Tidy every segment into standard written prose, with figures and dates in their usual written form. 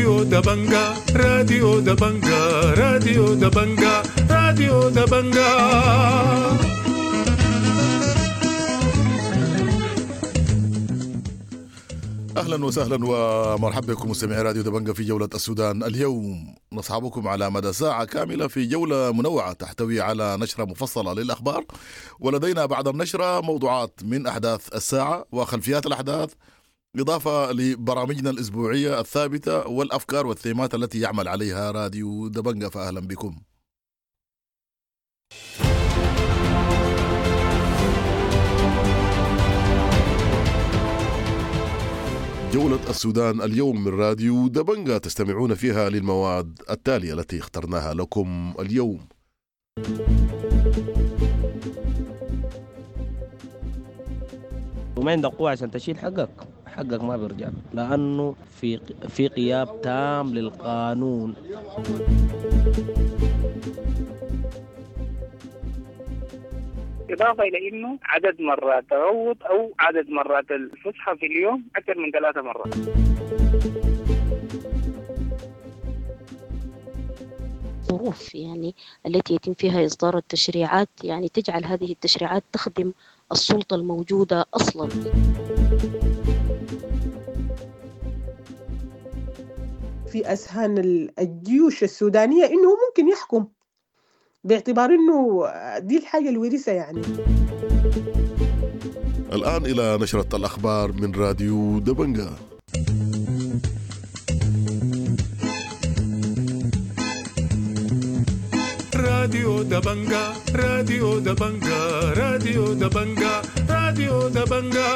راديو دبنجا، راديو دبنجا، راديو دبنجا، راديو دبنجا. اهلا وسهلا ومرحبا بكم مستمعي راديو دبنجا في جولة السودان اليوم. نصحبكم على مدى ساعة كاملة في جولة منوعة تحتوي على نشرة مفصلة للأخبار، ولدينا بعد النشرة موضوعات من أحداث الساعة وخلفيات الأحداث، إضافة لبرامجنا الأسبوعية الثابتة والأفكار والثيمات التي يعمل عليها راديو دبنجا. فأهلا بكم. جولة السودان اليوم من راديو دبنجا تستمعون فيها للمواد التالية التي اخترناها لكم اليوم. وما عندك قوة عشان تشيل حقك، حقك ما بيرجع، لأنه في غياب تام للقانون. إضافة إلى إنه عدد مرات تغوط أو عدد مرات الفسحة في اليوم أكثر من 3 مرات. الظروف يعني التي يتم فيها إصدار التشريعات يعني تجعل هذه التشريعات تخدم السلطة الموجودة أصلاً. في أذهان الجيوش السودانية إنه ممكن يحكم باعتبار إنه دي الحاجة الورثة يعني. الآن إلى نشرة الأخبار من راديو دبنجا. راديو دبنجا، راديو دبنجا، راديو دبنجا، راديو دبنجا.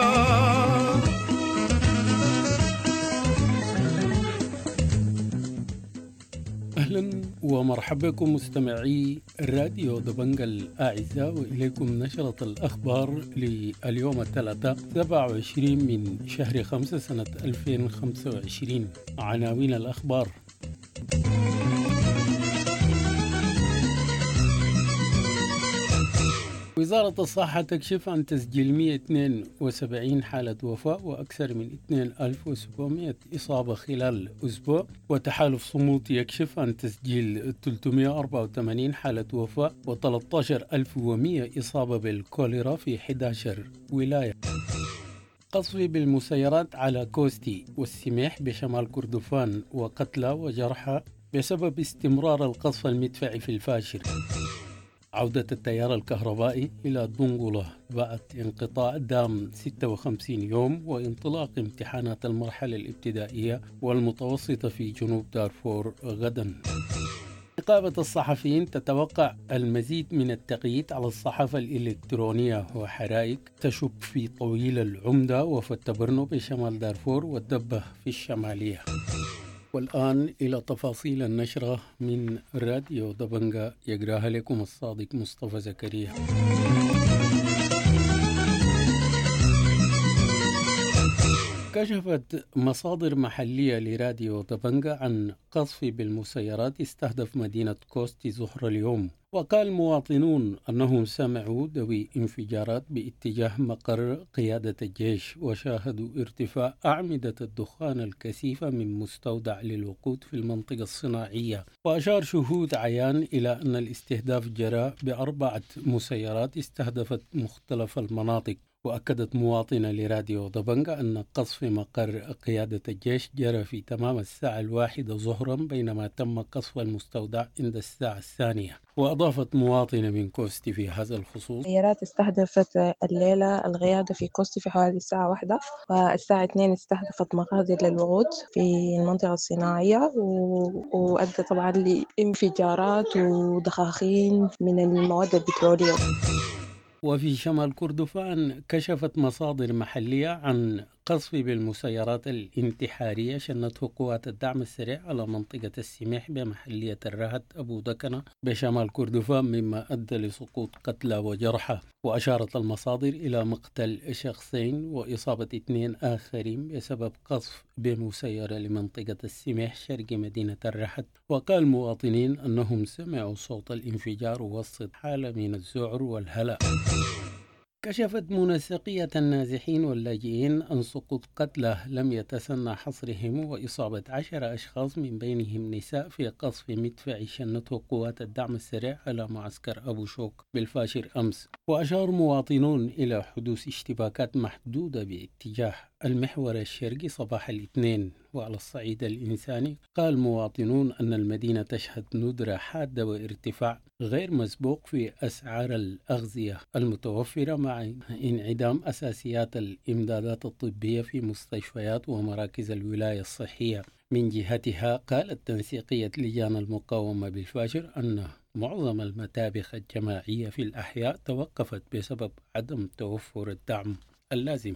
أهلا ومرحبا بكم مستمعي راديو دبنجا الأعزاء، وإليكم نشرة الأخبار لليوم الثلاثاء 27 من شهر 5 سنة 2025. عناوين الأخبار: وزارة الصحة تكشف عن تسجيل 172 حالة وفاة وأكثر من 2700 إصابة خلال أسبوع، وتحالف صمود يكشف عن تسجيل 384 حالة وفاة و13100 إصابة بالكوليرا في 11 ولاية. قصف بالمسيرات على كوستي والسميح بشمال كردفان وقتلى وجرحى بسبب استمرار القصف المدفعي في الفاشر. عودة التيار الكهربائي إلى دنقلة بعد انقطاع دام 56 يوم، وانطلاق امتحانات المرحلة الابتدائية والمتوسطة في جنوب دارفور غدا. نقابة الصحفيين تتوقع المزيد من التقييد على الصحافة الإلكترونية، وحرائق تشب في طويل العمدة وفتبرنو بشمال دارفور والدبة في الشمالية. والآن إلى تفاصيل النشرة من راديو دبنجا يقراها لكم الصادق مصطفى زكريا. كشفت مصادر محلية لراديو دبنجا عن قصف بالمسيرات استهدف مدينة كوستي ظهر اليوم، وقال مواطنون أنهم سمعوا دوي انفجارات باتجاه مقر قيادة الجيش، وشاهدوا ارتفاع أعمدة الدخان الكثيفة من مستودع للوقود في المنطقة الصناعية. وأشار شهود عيان إلى أن الاستهداف جرى ب4 مسيرات استهدفت مختلف المناطق. وأكدت مواطنة لراديو دبنجا أن قصف مقر قيادة الجيش جرى في تمام الساعة 1 ظهرا، بينما تم قصف المستودع عند الساعة 2. وأضافت مواطنة من كوستي في هذا الخصوص: الطيارات استهدفت الليلة القيادة في كوستي في حوالي الساعة 1، والساعة 2 استهدفت مخازن للوقود في المنطقة الصناعية، وأدى طبعا لانفجارات ودخاخين من المواد البترولية. وفي شمال كردفان كشفت مصادر محلية عن قصف بالمسيرات الانتحارية شنته قوات الدعم السريع على منطقة السميح بمحلية الرهد أبو دكنة بشمال كردفان، مما أدى لسقوط قتلى وجرحى. وأشارت المصادر إلى مقتل شخصين وإصابة 2 آخرين بسبب قصف بمسيرة لمنطقة السميح شرق مدينة الرهد. وقال مواطنين أنهم سمعوا صوت الانفجار وسط حالة من الذعر والهلع. كشفت منسقية النازحين واللاجئين عن سقوط قتلى لم يتسنى حصرهم وإصابة 10 أشخاص من بينهم نساء في قصف مدفع شنته قوات الدعم السريع على معسكر أبو شوك بالفاشر أمس. وأشار مواطنون إلى حدوث اشتباكات محدودة باتجاه المحور الشرقي صباح الاثنين. وعلى الصعيد الإنساني، قال مواطنون أن المدينة تشهد ندرة حادة وارتفاع غير مسبوق في أسعار الأغذية المتوفرة مع انعدام أساسيات الإمدادات الطبية في مستشفيات ومراكز الولاية الصحية. من جهتها، قالت تنسيقية لجان المقاومة بالفاشر أن معظم المتابخ الجماعية في الأحياء توقفت بسبب عدم توفر الدعم اللازم.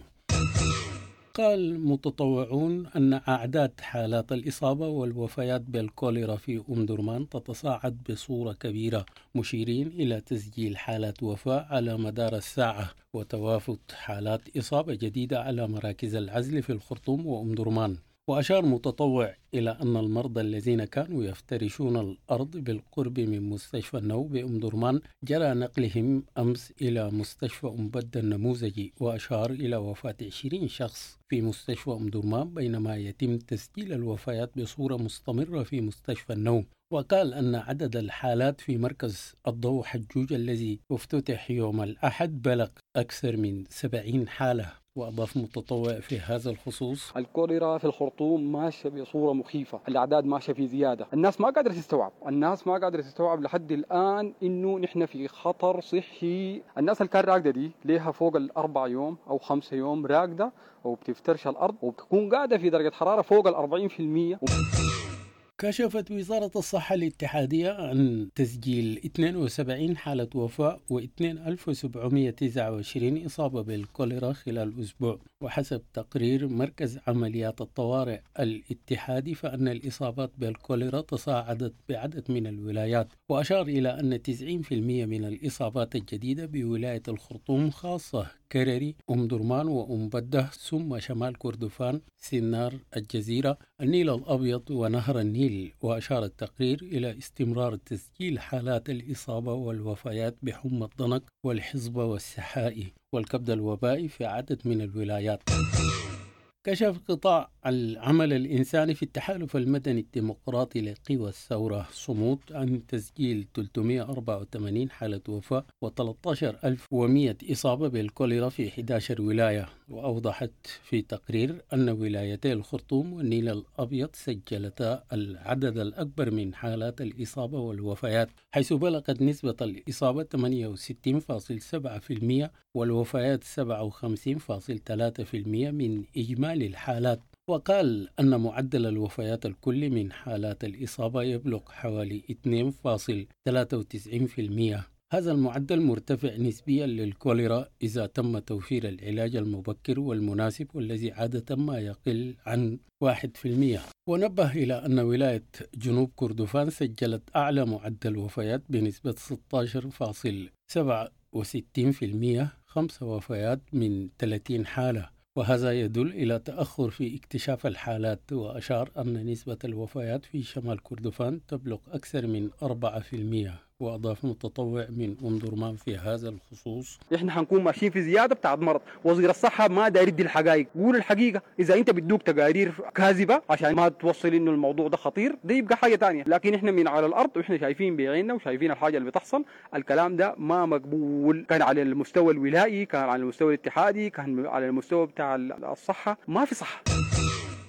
قال متطوعون أن أعداد حالات الإصابة والوفيات بالكوليرا في أم درمان تتصاعد بصورة كبيرة، مشيرين إلى تسجيل حالات وفاة على مدار الساعة وتوافد حالات إصابة جديدة على مراكز العزل في الخرطوم وأم درمان. وأشار متطوع إلى أن المرضى الذين كانوا يفترشون الأرض بالقرب من مستشفى النو بأم درمان جرى نقلهم أمس إلى مستشفى أم بدة النموذجي، وأشار إلى وفاة 20 شخص في مستشفى أم درمان، بينما يتم تسجيل الوفيات بصورة مستمرة في مستشفى النو. وقال أن عدد الحالات في مركز الضوء حجوج الذي افتتح يوم الأحد بلغ أكثر من 70 حالة. وأضاف متطوع في هذا الخصوص: الكوليرا في الخرطوم ماشية بصورة مخيفة، الأعداد ماشية في زيادة، الناس ما قادرة تستوعب، الناس ما قادرة تستوعب لحد الآن إنه نحن في خطر صحي. الناس اللي كان راقدة دي ليها فوق 4 يوم أو 5 يوم راقدة وبتفترش الأرض وبتكون قاعدة في درجة حرارة فوق 40%. كشفت وزارة الصحة الاتحادية عن تسجيل 72 حالة وفاة و2729 إصابة بالكوليرا خلال أسبوع. وحسب تقرير مركز عمليات الطوارئ الاتحادي فأن الإصابات بالكوليرا تصاعدت بعدد من الولايات. وأشار إلى أن 90% من الإصابات الجديدة بولاية الخرطوم، خاصة كرري، أم درمان وأم بدة، ثم شمال كردفان، سنار، الجزيرة، النيل الأبيض ونهر النيل. وأشار التقرير إلى استمرار تسجيل حالات الإصابة والوفيات بحمى الضنك والحصبة والسحائي والكبد الوبائي في عدد من الولايات. كشف قطاع العمل الإنساني في التحالف المدني الديمقراطي لقوى الثورة صمود عن تسجيل 384 حالة وفاة و13100 إصابة بالكوليرا في 11 ولاية. وأوضحت في تقرير أن ولايتي الخرطوم والنيل الأبيض سجلتا العدد الأكبر من حالات الإصابة والوفيات، حيث بلغت نسبة الإصابة 68.7% والوفيات 57.3% من إجمالي الحالات. وقال أن معدل الوفيات الكلي من حالات الإصابة يبلغ حوالي 2.93%. هذا المعدل مرتفع نسبيا للكوليرا إذا تم توفير العلاج المبكر والمناسب، والذي عادة ما يقل عن 1%. ونبه إلى أن ولاية جنوب كردفان سجلت أعلى معدل وفيات بنسبة 16.67%، 5 وفيات من 30 حالة، وهذا يدل إلى تأخر في اكتشاف الحالات. وأشار أن نسبة الوفيات في شمال كردفان تبلغ أكثر من 4%. وأضاف متطوع من أم درمان في هذا الخصوص: إحنا حنكون ماشيين في زيادة بتاع مرض، وزير الصحة ما داير يدي الحقائق، قول الحقيقة. إذا أنت بتدوك تقارير كاذبة عشان ما توصل إنه الموضوع ده خطير، ده يبقى حاجة تانية، لكن إحنا من على الأرض وإحنا شايفين بعيننا وشايفين الحاجة اللي بتحصل. الكلام ده ما مقبول، كان على المستوى الولائي، كان على المستوى الاتحادي، كان على المستوى بتاع الصحة، ما في صحة.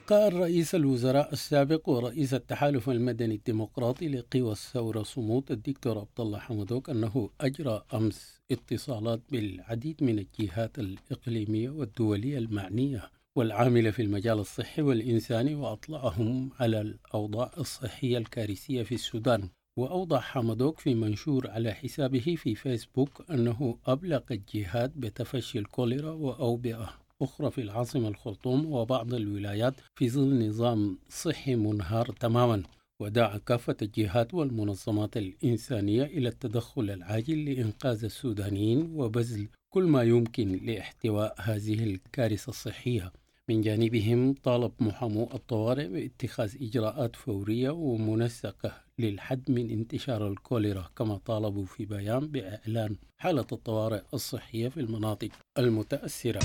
قال رئيس الوزراء السابق ورئيس التحالف المدني الديمقراطي لقوى الثورة صمود الدكتور عبد الله حمدوك أنه أجرى أمس اتصالات بالعديد من الجهات الإقليمية والدولية المعنية والعاملة في المجال الصحي والإنساني، وأطلعهم على الأوضاع الصحية الكارثية في السودان. وأوضح حمدوك في منشور على حسابه في فيسبوك أنه أبلغ الجهات بتفشي الكوليرا وأوبئة أخرى في العاصمة الخرطوم وبعض الولايات في ظل نظام صحي منهار تماما، ودعا كافة الجهات والمنظمات الإنسانية إلى التدخل العاجل لإنقاذ السودانيين وبذل كل ما يمكن لاحتواء هذه الكارثة الصحية. من جانبهم طالب محامو الطوارئ باتخاذ إجراءات فورية ومنسقة للحد من انتشار الكوليرا، كما طالبوا في بيان بإعلان حالة الطوارئ الصحية في المناطق المتأثرة.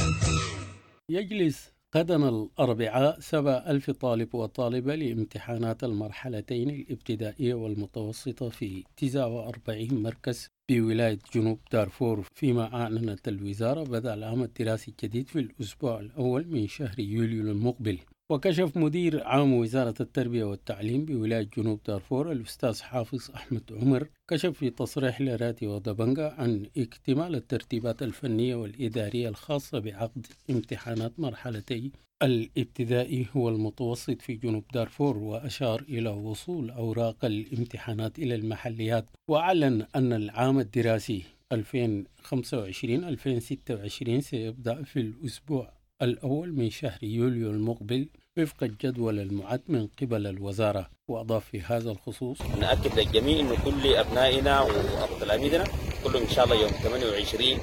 يجلس غدا الأربعاء 7000 طالب وطالبة لامتحانات المرحلتين الابتدائية والمتوسطة في 49 مركز بولاية جنوب دارفور، فيما أعلنت الوزارة بدأ العام الدراسي الجديد في الأسبوع الأول من شهر يوليو المقبل. وكشف مدير عام وزارة التربية والتعليم بولاية جنوب دارفور الأستاذ حافظ أحمد عمر كشف في تصريح لراديو دبنجا عن اكتمال الترتيبات الفنية والإدارية الخاصة بعقد امتحانات مرحلتي الابتدائي والمتوسط في جنوب دارفور، وأشار إلى وصول أوراق الامتحانات إلى المحليات، وأعلن أن العام الدراسي 2025-2026 سيبدأ في الأسبوع الأول من شهر يوليو المقبل وفق الجدول المعد من قبل الوزارة. وأضاف في هذا الخصوص: نأكد للجميع أنه كل أبنائنا وتلاميذنا كلهم إن شاء الله يوم 28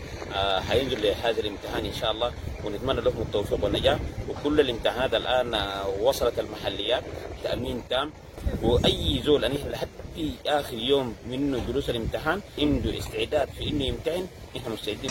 حينزل لهذا الامتحان إن شاء الله، ونتمنى لهم التوفيق والنجاح. وكل الامتحانات الآن وصلت المحليات تأمين تام، وأي زول أن لحد آخر يوم منه جلوس الامتحان عنده استعداد في إنه يمتحن، إحنا مستعدين.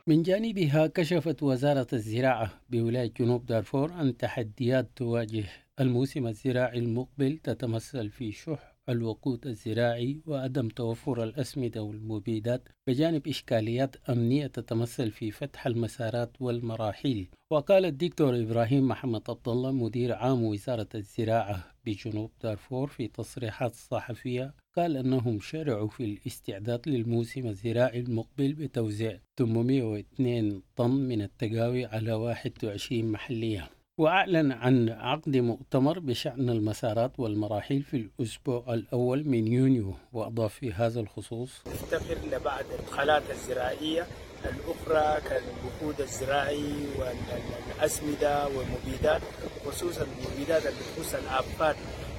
من جانبها كشفت وزارة الزراعة بولاية جنوب دارفور عن تحديات تواجه الموسم الزراعي المقبل تتمثل في شح الوقود الزراعي وعدم توفر الأسمدة والمبيدات، بجانب إشكاليات أمنية تتمثل في فتح المسارات والمراحيل. وقال الدكتور إبراهيم محمد عبد الله مدير عام وزارة الزراعة بجنوب دارفور في تصريحات صحفية، قال أنهم شرعوا في الاستعداد للموسم الزراعي المقبل بتوزيع 802 طن من التقاوي على 21 محلية. وأعلن عن عقد مؤتمر بشأن المسارات والمراحل في الأسبوع الأول من يونيو. وأضاف في هذا الخصوص: نفتقر لبعض الإدخالات الزراعية الأخرى كالوقود الزراعي والأسمدة والمبيدات، خصوصا المبيدات اللي بتخص الآفات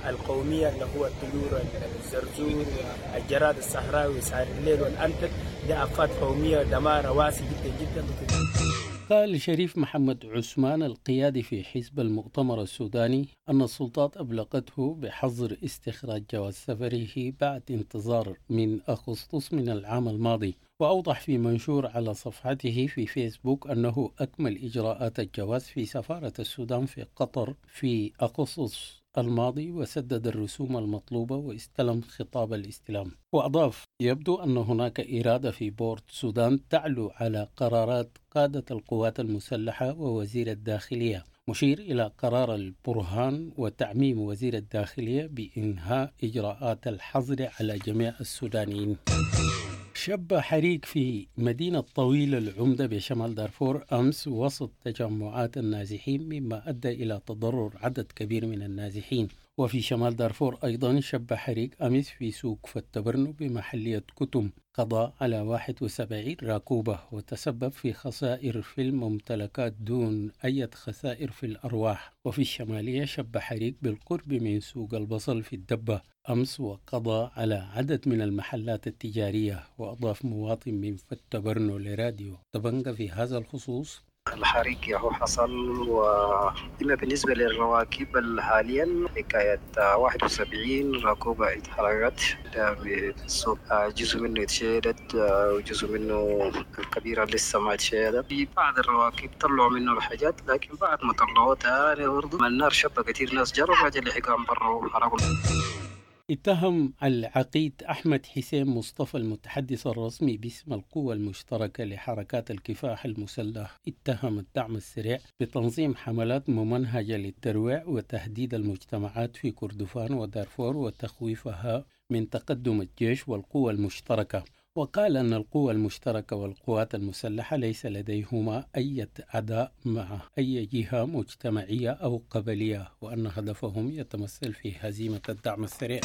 القومية اللي هو الطيور الزرزور والجراد الصحراوي وسعر الليل والأنتل. دي آفات قومية دمار واسع جدا جدا. قال شريف محمد عثمان القيادي في حزب المؤتمر السوداني أن السلطات أبلغته بحظر استخراج جواز سفره بعد انتظار من أغسطس من العام الماضي. وأوضح في منشور على صفحته في فيسبوك أنه أكمل إجراءات الجواز في سفارة السودان في قطر في أغسطس الماضي وسدد الرسوم المطلوبة واستلم خطاب الاستلام. وأضاف: يبدو أن هناك إرادة في بورت السودان تعلو على قرارات قادة القوات المسلحة ووزير الداخلية، مشير إلى قرار البرهان وتعميم وزير الداخلية بإنهاء إجراءات الحظر على جميع السودانيين. شب حريق في مدينة طويل العمدة بشمال دارفور أمس وسط تجمعات النازحين، مما أدى إلى تضرر عدد كبير من النازحين. وفي شمال دارفور أيضا شب حريق أمس في سوق فتبرنو بمحلية كتم، قضى على 71 راكوبة وتسبب في خسائر في الممتلكات دون أي خسائر في الأرواح. وفي الشمالية شب حريق بالقرب من سوق البصل في الدبة أمس وقضى على عدد من المحلات التجارية. وأضاف مواطن من فتبرنو لراديو دبنجا في هذا الخصوص: الحريق هو حصل، وإما بالنسبة للرواكب حاليا حكاية 71 راكوبة اتحرقت في السوق، جزء منه اتشيدت وجزء منه الكبيرة لسه ما اتشيدت. في بعض الرواكب طلعوا منه الحاجات، لكن بعد ما طلعوه تاني برضه النار شبه كثير، ناس جروا بعد اللي حكام برا وحرقوا. اتهم العقيد أحمد حسين مصطفى المتحدث الرسمي باسم القوى المشتركة لحركات الكفاح المسلح، اتهم الدعم السريع بتنظيم حملات ممنهجة للترويع وتهديد المجتمعات في كردفان ودارفور وتخويفها من تقدم الجيش والقوى المشتركة. وقال أن القوى المشتركة والقوات المسلحة ليس لديهما أي عداء مع أي جهة مجتمعية أو قبلية، وأن هدفهم يتمثل في هزيمة الدعم السريع.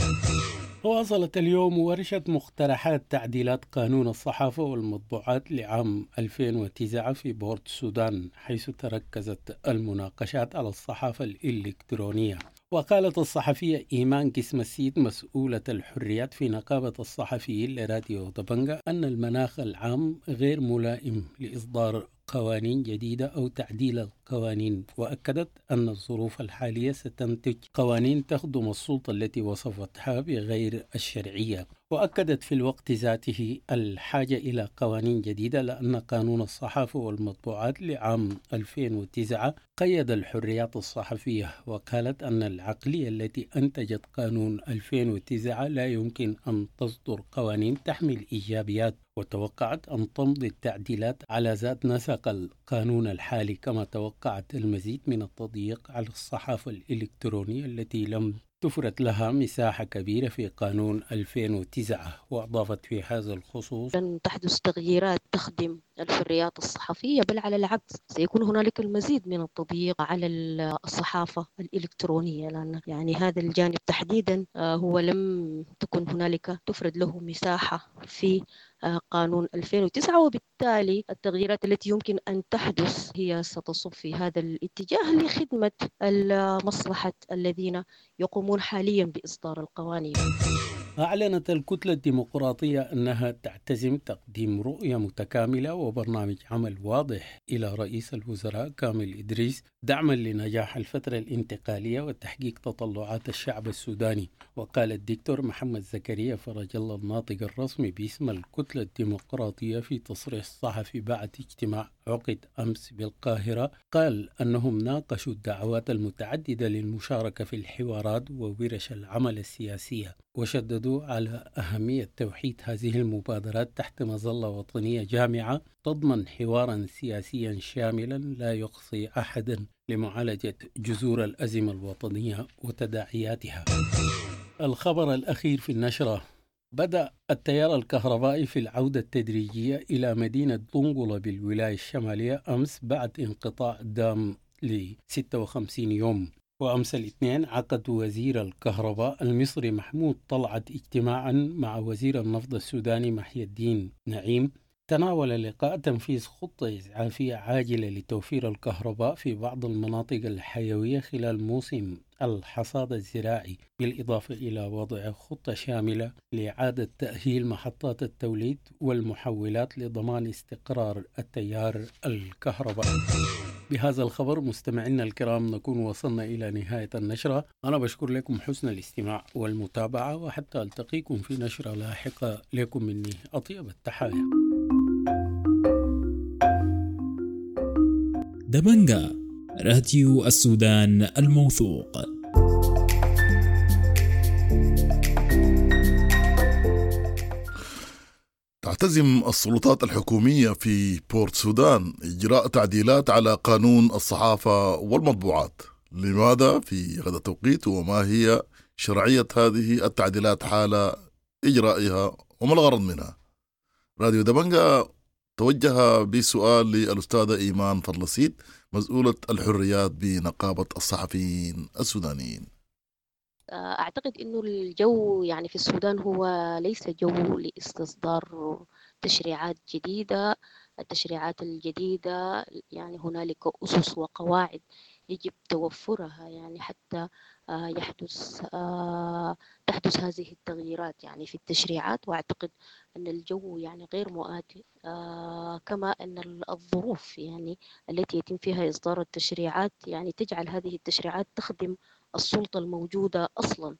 واصلت اليوم ورشة مقترحات تعديلات قانون الصحافة والمطبوعات لعام 2009 في بورت السودان، حيث تركزت المناقشات على الصحافة الإلكترونية. وقالت الصحفية إيمان قسم السيد مسؤولة الحريات في نقابة الصحفيين لراديو دبنجا أن المناخ العام غير ملائم لإصدار قوانين جديدة أو تعديل القوانين، وأكدت أن الظروف الحالية ستنتج قوانين تخدم السلطة التي وصفتها بغير الشرعية. وأكدت في الوقت ذاته الحاجة إلى قوانين جديدة، لأن قانون الصحافة والمطبوعات لعام 2009 قيد الحريات الصحفية. وقالت أن العقلية التي أنتجت قانون 2009 لا يمكن أن تصدر قوانين تحمل إيجابيات، وتوقعت أن تمضي التعديلات على ذات نسق القانون الحالي، كما توقعت المزيد من التضييق على الصحافة الإلكترونية التي لم تفرد لها مساحة كبيرة في قانون 2009. وأضافت في هذا الخصوص: لن تحدث تغييرات تخدم الحريات الصحفية، بل على العكس سيكون هنالك المزيد من التضييق على الصحافة الإلكترونية، لأن يعني هذا الجانب تحديدا هو لم تكن هنالك تفرد له مساحة في قانون 2009، وبالتالي التغييرات التي يمكن أن تحدث هي ستصب في هذا الاتجاه لخدمة مصلحة الذين يقومون حاليا بإصدار القوانين. أعلنت الكتلة الديمقراطية أنها تعتزم تقديم رؤية متكاملة وبرنامج عمل واضح إلى رئيس الوزراء كامل إدريس دعما لنجاح الفترة الانتقالية وتحقيق تطلعات الشعب السوداني. وقال الدكتور محمد زكريا فرج الله الناطق الرسمي باسم الكتلة الديمقراطية في تصريح صحفي بعد اجتماع عقد أمس بالقاهرة، قال أنهم ناقشوا الدعوات المتعددة للمشاركة في الحوارات وورش العمل السياسية، وشددوا على أهمية توحيد هذه المبادرات تحت مظلة وطنية جامعة تضمن حوارا سياسيا شاملا لا يقصي أحدا لمعالجة جذور الأزمة الوطنية وتداعياتها. الخبر الأخير في النشرة: بدأ التيار الكهربائي في العودة التدريجية إلى مدينة دنقلة بالولاية الشمالية أمس بعد انقطاع دام ل 56 يوم. وأمس الاثنين عقد وزير الكهرباء المصري محمود طلعت اجتماعا مع وزير النفط السوداني محي الدين نعيم، تناول اللقاء تنفيذ خطة إسعافية عاجلة لتوفير الكهرباء في بعض المناطق الحيوية خلال موسم الحصاد الزراعي، بالإضافة إلى وضع خطة شاملة لإعادة تأهيل محطات التوليد والمحولات لضمان استقرار التيار الكهربائي. بهذا الخبر مستمعينا الكرام نكون وصلنا إلى نهاية النشرة. أنا بشكر لكم حسن الاستماع والمتابعة، وحتى ألتقيكم في نشرة لاحقة، لكم مني أطيب التحايا. دبنجا، راديو السودان الموثوق. تعتزم السلطات الحكومية في بورت سودان إجراء تعديلات على قانون الصحافة والمطبوعات. لماذا في هذا التوقيت، وما هي شرعية هذه التعديلات حال إجرائها، وما الغرض منها؟ راديو دبنجا توجه بسؤال للأستاذة إيمان فضل مسؤولة الحريات بنقابة الصحفيين السودانيين. أعتقد أنه الجو يعني في السودان هو ليس جو لاستصدار تشريعات جديدة. التشريعات الجديدة يعني هنالك أسس وقواعد يجب توفرها يعني حتى تحدث هذه التغييرات يعني في التشريعات. وأعتقد أن الجو يعني غير مؤاتي، كما أن الظروف يعني التي يتم فيها إصدار التشريعات يعني تجعل هذه التشريعات تخدم السلطة الموجودة أصلا،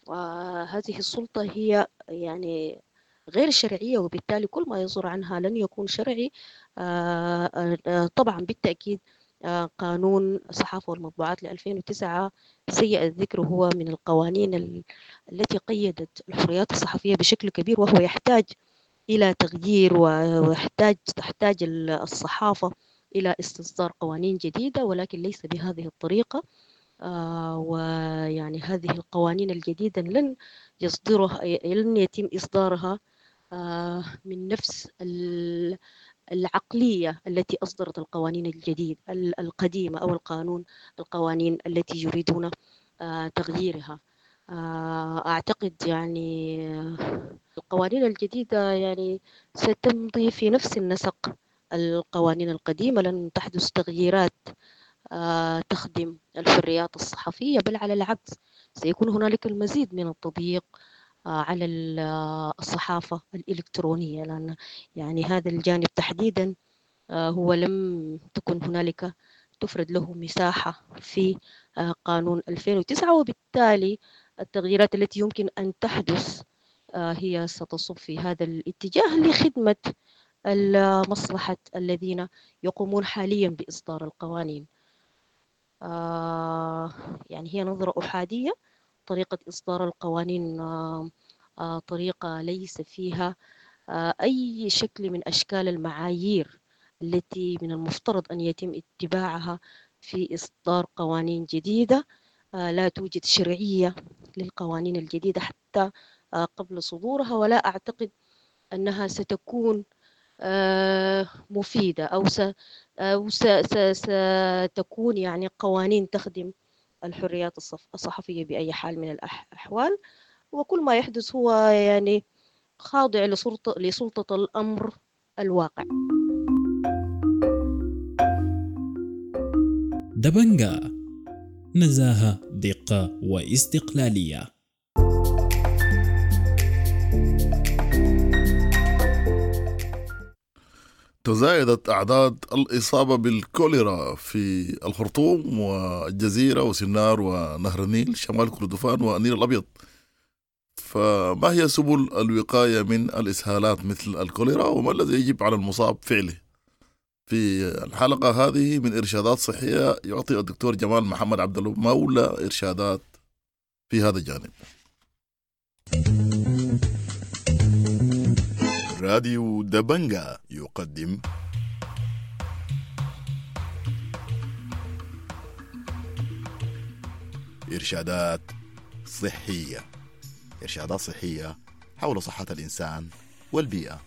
وهذه السلطة هي يعني غير شرعية، وبالتالي كل ما يصدر عنها لن يكون شرعي. طبعا بالتأكيد قانون الصحافة والمطبوعات ل 2009 سيء الذكر هو من القوانين التي قيدت الحريات الصحفية بشكل كبير، وهو يحتاج إلى تغيير، ويحتاج تحتاج الصحافة إلى استصدار قوانين جديدة، ولكن ليس بهذه الطريقة. ويعني هذه القوانين الجديدة لن يتم إصدارها من نفس العقلية التي أصدرت القوانين الجديدة القديمة أو القوانين التي يريدون تغييرها. أعتقد يعني القوانين الجديدة يعني ستمضي في نفس النسق القوانين القديمة، لن تحدث تغييرات تخدم الحريات الصحفية، بل على العكس سيكون هنالك المزيد من التضييق على الصحافة الإلكترونية، لأن يعني هذا الجانب تحديدا هو لم تكن هنالك تفرد له مساحة في قانون 2009، وبالتالي التغييرات التي يمكن أن تحدث هي ستصب في هذا الاتجاه لخدمة مصلحة الذين يقومون حاليا بإصدار القوانين. يعني هي نظرة أحادية، طريقة إصدار القوانين طريقة ليس فيها أي شكل من أشكال المعايير التي من المفترض أن يتم اتباعها في إصدار قوانين جديدة. لا توجد شرعية للقوانين الجديدة حتى قبل صدورها، ولا أعتقد أنها ستكون مفيدة أو ستكون يعني قوانين تخدم الحريات الصحفية بأي حال من الأحوال. وكل ما يحدث هو يعني خاضع لسلطة الأمر الواقع. دبنجا، نزاهة، دقة واستقلالية. تزايدت أعداد الإصابة بالكوليرا في الخرطوم والجزيرة وسنار ونهر النيل، شمال كردفان والنيل الأبيض. فما هي سبل الوقاية من الإسهالات مثل الكوليرا، وما الذي يجب على المصاب فعله؟ في الحلقة هذه من إرشادات صحية يعطي الدكتور جمال محمد عبد المولى إرشادات في هذا الجانب. راديو دبنجا يقدم إرشادات صحية، إرشادات صحية حول صحة الإنسان والبيئة.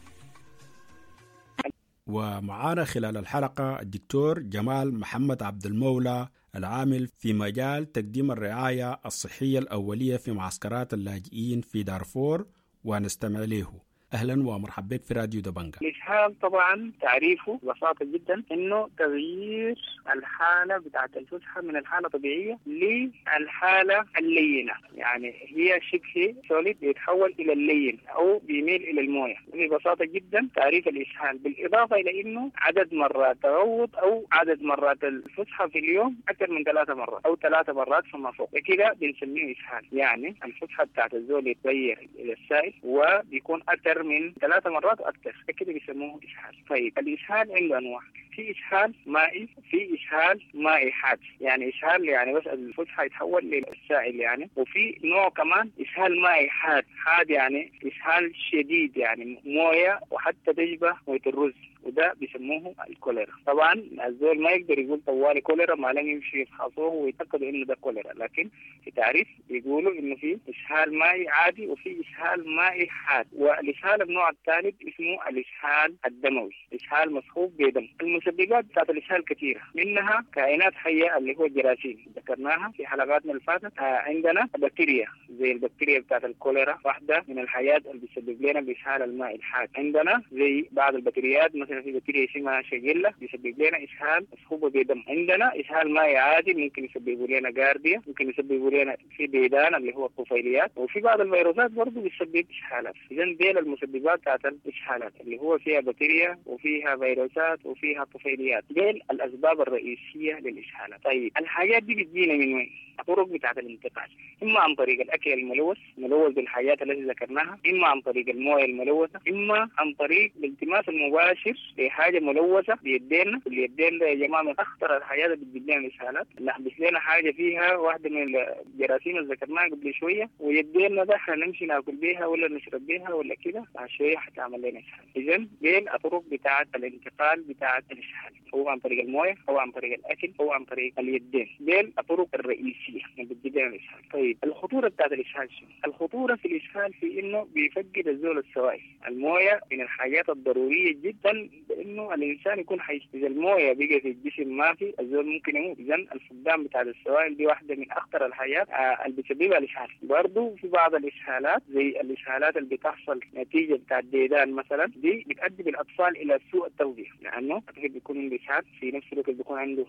ومعانا خلال الحلقة الدكتور جمال محمد عبد المولى، العامل في مجال تقديم الرعاية الصحية الأولية في معسكرات اللاجئين في دارفور، ونستمع له. أهلا ومرحبا بك في راديو دبنجا. الإسهال طبعا تعريفه ببساطة جدا إنه تغيير الحالة بتاعة الفسحة من الحالة الطبيعية للحالة اللينة، يعني هي شبه solid بيتحول إلى اللين أو بيميل إلى الموية. ببساطة جدا تعريف الإسهال، بالإضافة إلى إنه عدد مرات تغوط أو عدد مرات الفسحة في اليوم أكثر من 3 مرات أو 3 مرات فما فوق، كده بنسميه إسهال. يعني الفسحة بتاعة الزول يتغير إلى السائل وبيكون أكثر من 3 مرات وأكثر، كده بيسموه إسهال. طيب الإسهال عنده أنواع، في إسهال مائي، في إسهال مائي حاد، يعني إسهال يعني بس الفسحة يتحول للسائل يعني، وفي نوع كمان إسهال مائي حاد، حاد يعني إسهال شديد يعني موية وحتى تشبه موية الرز، وده بيسموه الكوليرا. طبعا الزول ما يقدر يقول طوالي كوليرا ما لم يمشي يفحصوه ويتأكدوا انه ده كوليرا، لكن في تعريف بيقولوا انه في اسهال مائي عادي وفي اسهال مائي حاد. والاسهال النوع الثالث اسمه الاسهال الدموي، اسهال مصحوب بدم. المسببات بتاعت الاسهال كثيره، منها كائنات حيه اللي هو الجراثيم ذكرناها في حلقاتنا اللي فاتت. عندنا بكتيريا زي البكتيريا بتاعت الكوليرا، واحده من الحيات اللي بتسبب لنا الاسهال المائي الحاد. عندنا زي بعض البكتيريات مثلا في بكتيريا اسمها شجلة بيسبب لنا إسهال مصحوبة بدم. عندنا إسهال مائي عادي ممكن يسببوا لنا جارديا، ممكن يسببوا لنا في ديدان اللي هو الطفيليات، وفي بعض الفيروسات برضه بتسبب إسهالات. إذا ديل المسببات بتاعت الإسهالات اللي هو فيها بكتيريا وفيها فيروسات وفيها طفيليات، ديل الأسباب الرئيسية للإسهالات. طيب الحاجات دي بتجينا من وين؟ الطرق بتاعت الانتقال، إما عن طريق الأكل الملوث، ملوث بالحاجات التي ذكرناها، إما عن طريق المويه الملوثة، إما عن طريق الالتماس المباشر لحاجة ملوثة بيدينا. اليدين ده يا جماعة من أخطر الحاجات اللي بتجيب لنا الإسهالات. نحبس لنا حاجة فيها واحدة من الجراثيم اللي ذكرناها قبل شوية، ويدينا ده احنا نمشي ناكل بيها ولا نشرب بيها ولا كده، بعد شوية حتعمل لنا إسهال. إذن دي الطرق بتاعت الانتقال بتاعت الإسهال، هو عن طريق المويه، هو عن طريق الأكل، هو عن طريق اليدين. دي الطرق الرئيسية اللي بتجيب لنا الإسهال. طيب الخطورة بتاعت الإسهال شنو؟ الخطورة في الإسهال في إنه بيفقد الزول السوائل. المويه من الحاجات الضرورية جدا بإنه الإنسان يكون حي. إذا المويه بقى في الجسم ما في، الزول ممكن يموت. إذا الفقدان بتاع السوائل دي واحدة من أخطر الحاجات اللي بتسببها الإسهال. برضه في بعض الإسهالات زي الإسهالات اللي بتحصل نتيجة بتاع الديدان مثلا، دي بتؤدي بالأطفال إلى سوء التغذية، لأنه الوقت بيكون عنده اسهال، في نفس الوقت بيكون عنده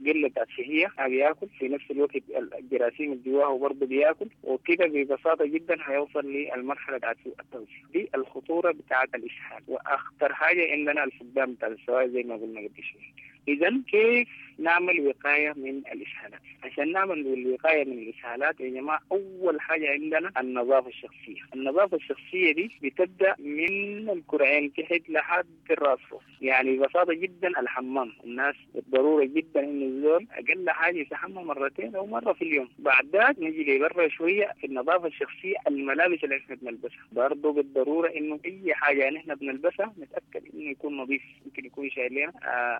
قلة شهية، ما بياكل، في نفس الوقت الجراثيم اللي جواه برضه بياكل، وكده ببساطة جدا هيوصل للمرحلة بتاعت سوء التغذية. دي الخطورة بتاعت الاسهال، واخطر حاجة عندنا الفقدان بتاع السوائل زي ما قلنا قبل شوية. اذا كيف نعمل وقاية من الاسهالات؟ عشان نعمل الوقاية من الاسهالات يا جماعة، اول حاجة عندنا النظافة الشخصية. النظافة الشخصية دي بتبدا من الكرعين تحت لحد الراس فوق، يعني ببساطة جدا الحمام، الناس بالضرورة جدا انه الزول اقل حاجة يستحمى مرتين او مرة في اليوم. بعد ذاك نجي لبرا شوية في النظافة الشخصية، الملابس اللي احنا بنلبسها برضه بالضرورة انه اي حاجة نحن بنلبسها نتاكد انه يكون نظيف، ممكن يكون شايل لنا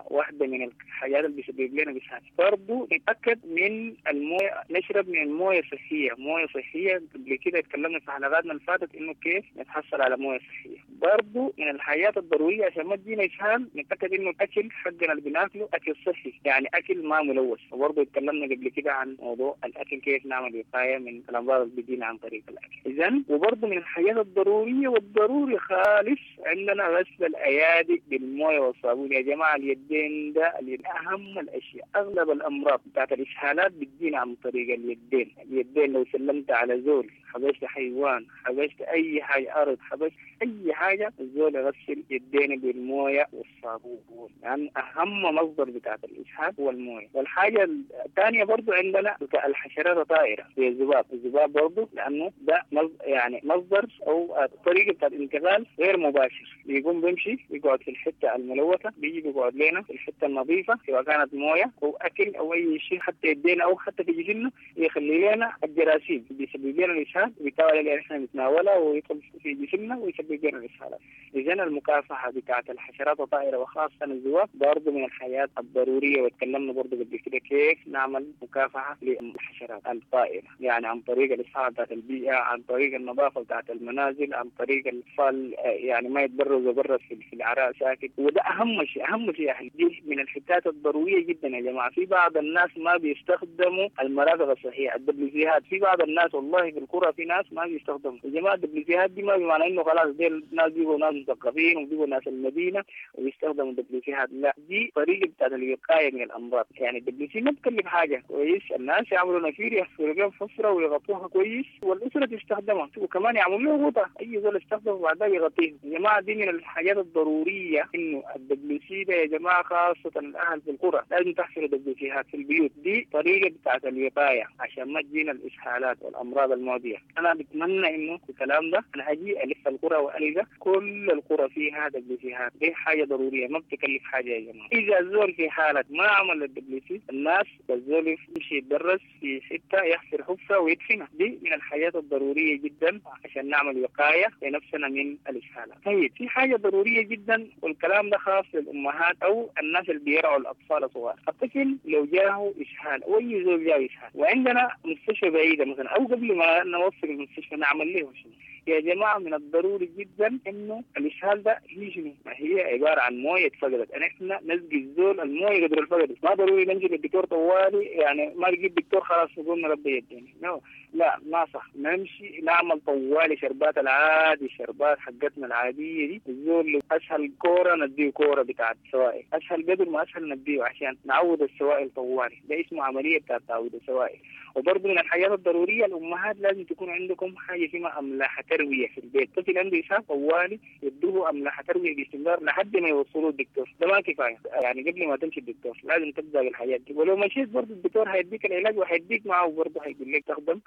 واحدة من الحاجات اللي بيسبب لنا اسهال. برضه نتاكد من المويه، نشرب من المويه الصحية، مويه صحية قبل كده اتكلمنا في حلقاتنا اللي فاتت انه كيف نتحصل على مويه صحية. برضه من الحاجات الضرورية عشان ما تجينا اسهال نتاكد انه الاكل حقنا اللي بناكله اكل صحي، يعني اكل ما ملوث. وبرضه اتكلمنا قبل كده عن موضوع الاكل كيف نعمل وقاية من الامراض اللي بتجينا عن طريق الاكل. اذا وبرضه من الحاجات الضرورية والضروري خالص عندنا غسل الايادي بالمويه والصابون. يا جماعة اليدين ده من اهم الاشياء. اغلب الامراض بتاعت الاسهالات بتجينا عن طريق اليدين. اليدين لو سلمت على زول، حبشت حيوان، حبشت اي حاجة، ارض، حبشت اي حاجة، الزول يغسل يدينه بالمويه والصابون، لان يعني اهم مصدر بتاعت الاسهال هو المويه. والحاجة الثانية برضو عندنا الحشرات الطائرة زي الذباب. الذباب برضو لانه ده يعني مصدر او طريقه بتاعت انتقال غير مباشر، بيقوم بيمشي بيقعد في الحتة الملوثة، بيجي بيقعد لنا في الحتة النظيفة سواء كانت مويه او اكل او اي شيء، حتى يدينا او حتى في جسمنا يخلي لنا الجراثيم بيسبب لنا الاسهال، وبالتالي احنا نتناولها ويدخل في جسمنا ويسبب لنا الاسهالات. اذا المكافحه بتاعت الحشرات الطائرة وخاصة الذباب برضه من الحاجات الضرورية، وتكلمنا برضه قبل كده كيف نعمل مكافحة للحشرات الطائرة، يعني عن طريق الاصحاح بتاعت البيئة، عن طريق النظافة بتاعت المنازل، عن طريق الاطفال يعني ما يتبرزوا برا في العراء ساكت. وده اهم شيء، اهم شيء يعني دي من الحتات الضرورية جدا يا جماعة. في بعض الناس ما بيستخدموا المرافق الصحية، الدبليوسيهات، في بعض الناس والله في القرى في ناس ما بيستخدموا. يا جماعة الدبليوسيهات دي ما بمعنى انه خلاص دي الناس بيبقوا ناس مثقفين وبيبقوا ناس المدينة وبيستخدموا الدبليوسيهات، لا، دي طريقه بتاعت الوقاية من الامراض. يعني ال WC ما بتكلف حاجة، كويس، الناس يعملوا نفير يحفروا بيها حفره ويغطوها كويس والاسرة تستخدمها، وكمان يعملوا له غطاء، اي زول يستخدمه وبعدها يغطيه. يا جماعة دي من الحاجات الضرورية انه ال WC ده يا جماعة خاصة الاهل في القرى لازم تحفروا دبليوسيهات في البيوت، دي طريقه بتاعت الوقاية عشان ما تجينا الاسهالات والامراض المعدية. انا بتمنى انه الكلام ده انا اجي الف القرى والقى كل القرى فيها دبليوسيهات، دي حاجة ضرورية ما بتكلف حاجة يا جماعة. اذا الزول في حاله ما عمل ال WC، الناس الزول يمشي يتدرس في حتة يحفر حفره ويدفنها، دي من الحاجات الضرورية جدا عشان نعمل وقاية لنفسنا من الاسهالات. طيب في حاجة ضرورية جدا والكلام ده خاص للامهات او الناس اللي بيرعوا الاطفال الصغار. الطفل لو جاة اسهال او اي زول جاه اسهال وعندنا مستشفى بعيدة مثلا او قبل ما نوصل المستشفى نعمل له شنو؟ يا جماعة من الضروري جدا انه الاسهال ده هي شنو؟ ما هي عبارة عن مويه اتفقدت، احنا نسقي الزول المويه قدر الفقدت، ما ضروري نمشي للدكتور طوالي، يعني ما نجيب دكتور خلاص نقول ربي يديني، no. لا ما صح، نمشي نعمل طوالي شربات العادي، الشربات حقتنا العادية دي، الزول اسهل كورة نديه كورة بتاعت سوائل، اسهل قدر ما اسهل نديه عشان نعوض السوائل طوالي، ده اسمه عملية بتاعت تعويض السوائل. وبرضه من الحاجات الضرورية الامهات لازم تكون عندكم حاجة اسمها املاح ترويه في البيت، طفل عنده اسهال طوالي يدوه املاح ترويه باستمرار لحد ما يوصلوه الدكتور، ده ما كفاية، يعني قبل ما تمشي الدكتور لازم تبدا بالحاجات دي، ولو مشيت برضه الدكتور هيديك العلاج وهيديك معه برضه هيقول لك تستخدم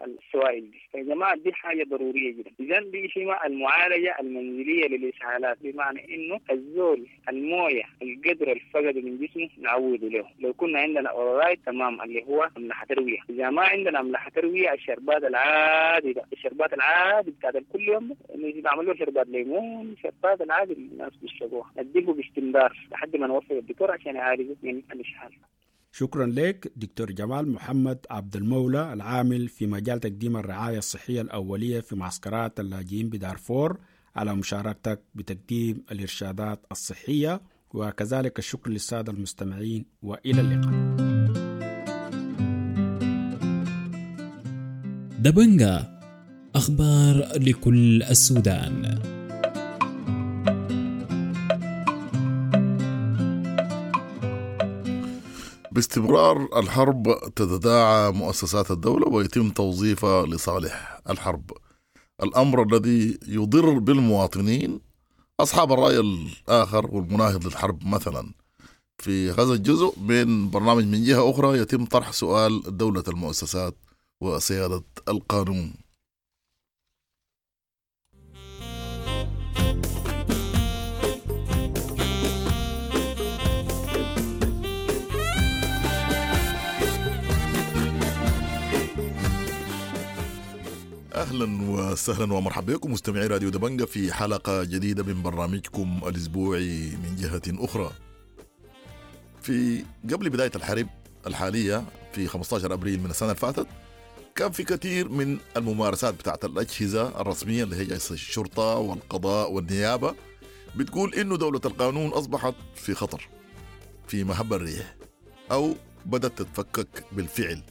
السوائل دي. يا جماعة دي حاجة ضرورية جدا. اذا دي اسمها المعالجة المنزلية للاسهالات، بمعنى انه الزول المويه القدر الفقد من جسمه نعوده له، لو كنا عندنا ORS تمام اللي هو املاح ترويه، اذا ما عندنا املاح ترويه الشربات العادي ده، الشربات العادي بتاعت كل يوم نعمل له شربات ليمون، شربات العادي اللي الناس بيشربوها، نديه باستمرار لحد ما نوصل الدكتور عشان يعالجه من الاسهال. شكرا لك دكتور جمال محمد عبد المولى العامل في مجال تقديم الرعاية الصحية الأولية في معسكرات اللاجئين بدارفور على مشاركتك بتقديم الإرشادات الصحية، وكذلك الشكر للسادة المستمعين، وإلى اللقاء. دبنجا، أخبار لكل السودان. باستمرار الحرب تتداعى مؤسسات الدولة ويتم توظيفها لصالح الحرب، الأمر الذي يضر بالمواطنين أصحاب الرأي الآخر والمناهض للحرب مثلا. في هذا الجزء من برنامج من جهة أخرى يتم طرح سؤال دولة المؤسسات وسيادة القانون. اهلا وسهلا ومرحبا بكم مستمعي راديو دبنجة في حلقة جديدة من برنامجكم الاسبوعي من جهة اخرى. في قبل بداية الحرب الحالية في 15 ابريل من السنة اللي فاتت كان في كثير من الممارسات بتاعت الاجهزة الرسمية اللي هي الشرطة والقضاء والنيابة بتقول انه دولة القانون اصبحت في خطر، في مهب الريح، او بدأت تتفكك بالفعل.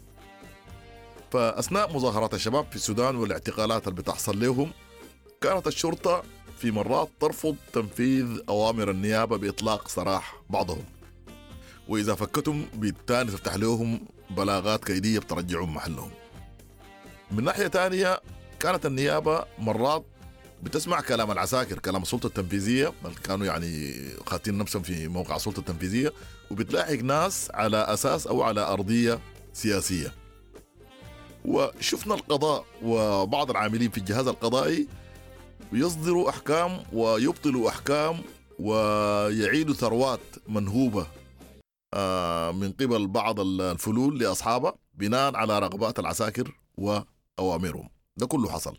فأثناء مظاهرات الشباب في السودان والاعتقالات اللي بتحصل لهم، كانت الشرطة في مرات ترفض تنفيذ أوامر النيابة بإطلاق سراح بعضهم، وإذا فكتهم بالتالي تفتح لهم بلاغات كيدية بترجعهم محلهم. من ناحية تانية كانت النيابة مرات بتسمع كلام العساكر، كلام السلطة التنفيذية اللي كانوا يعني خاتين نفسهم في موقع السلطة التنفيذية، وبتلاحق ناس على أساس أو على أرضية سياسية. وشفنا القضاء وبعض العاملين في الجهاز القضائي يصدروا أحكام ويبطلوا أحكام ويعيدوا ثروات منهوبة من قبل بعض الفلول لأصحابها بناء على رغبات العساكر وأوامرهم. ده كله حصل.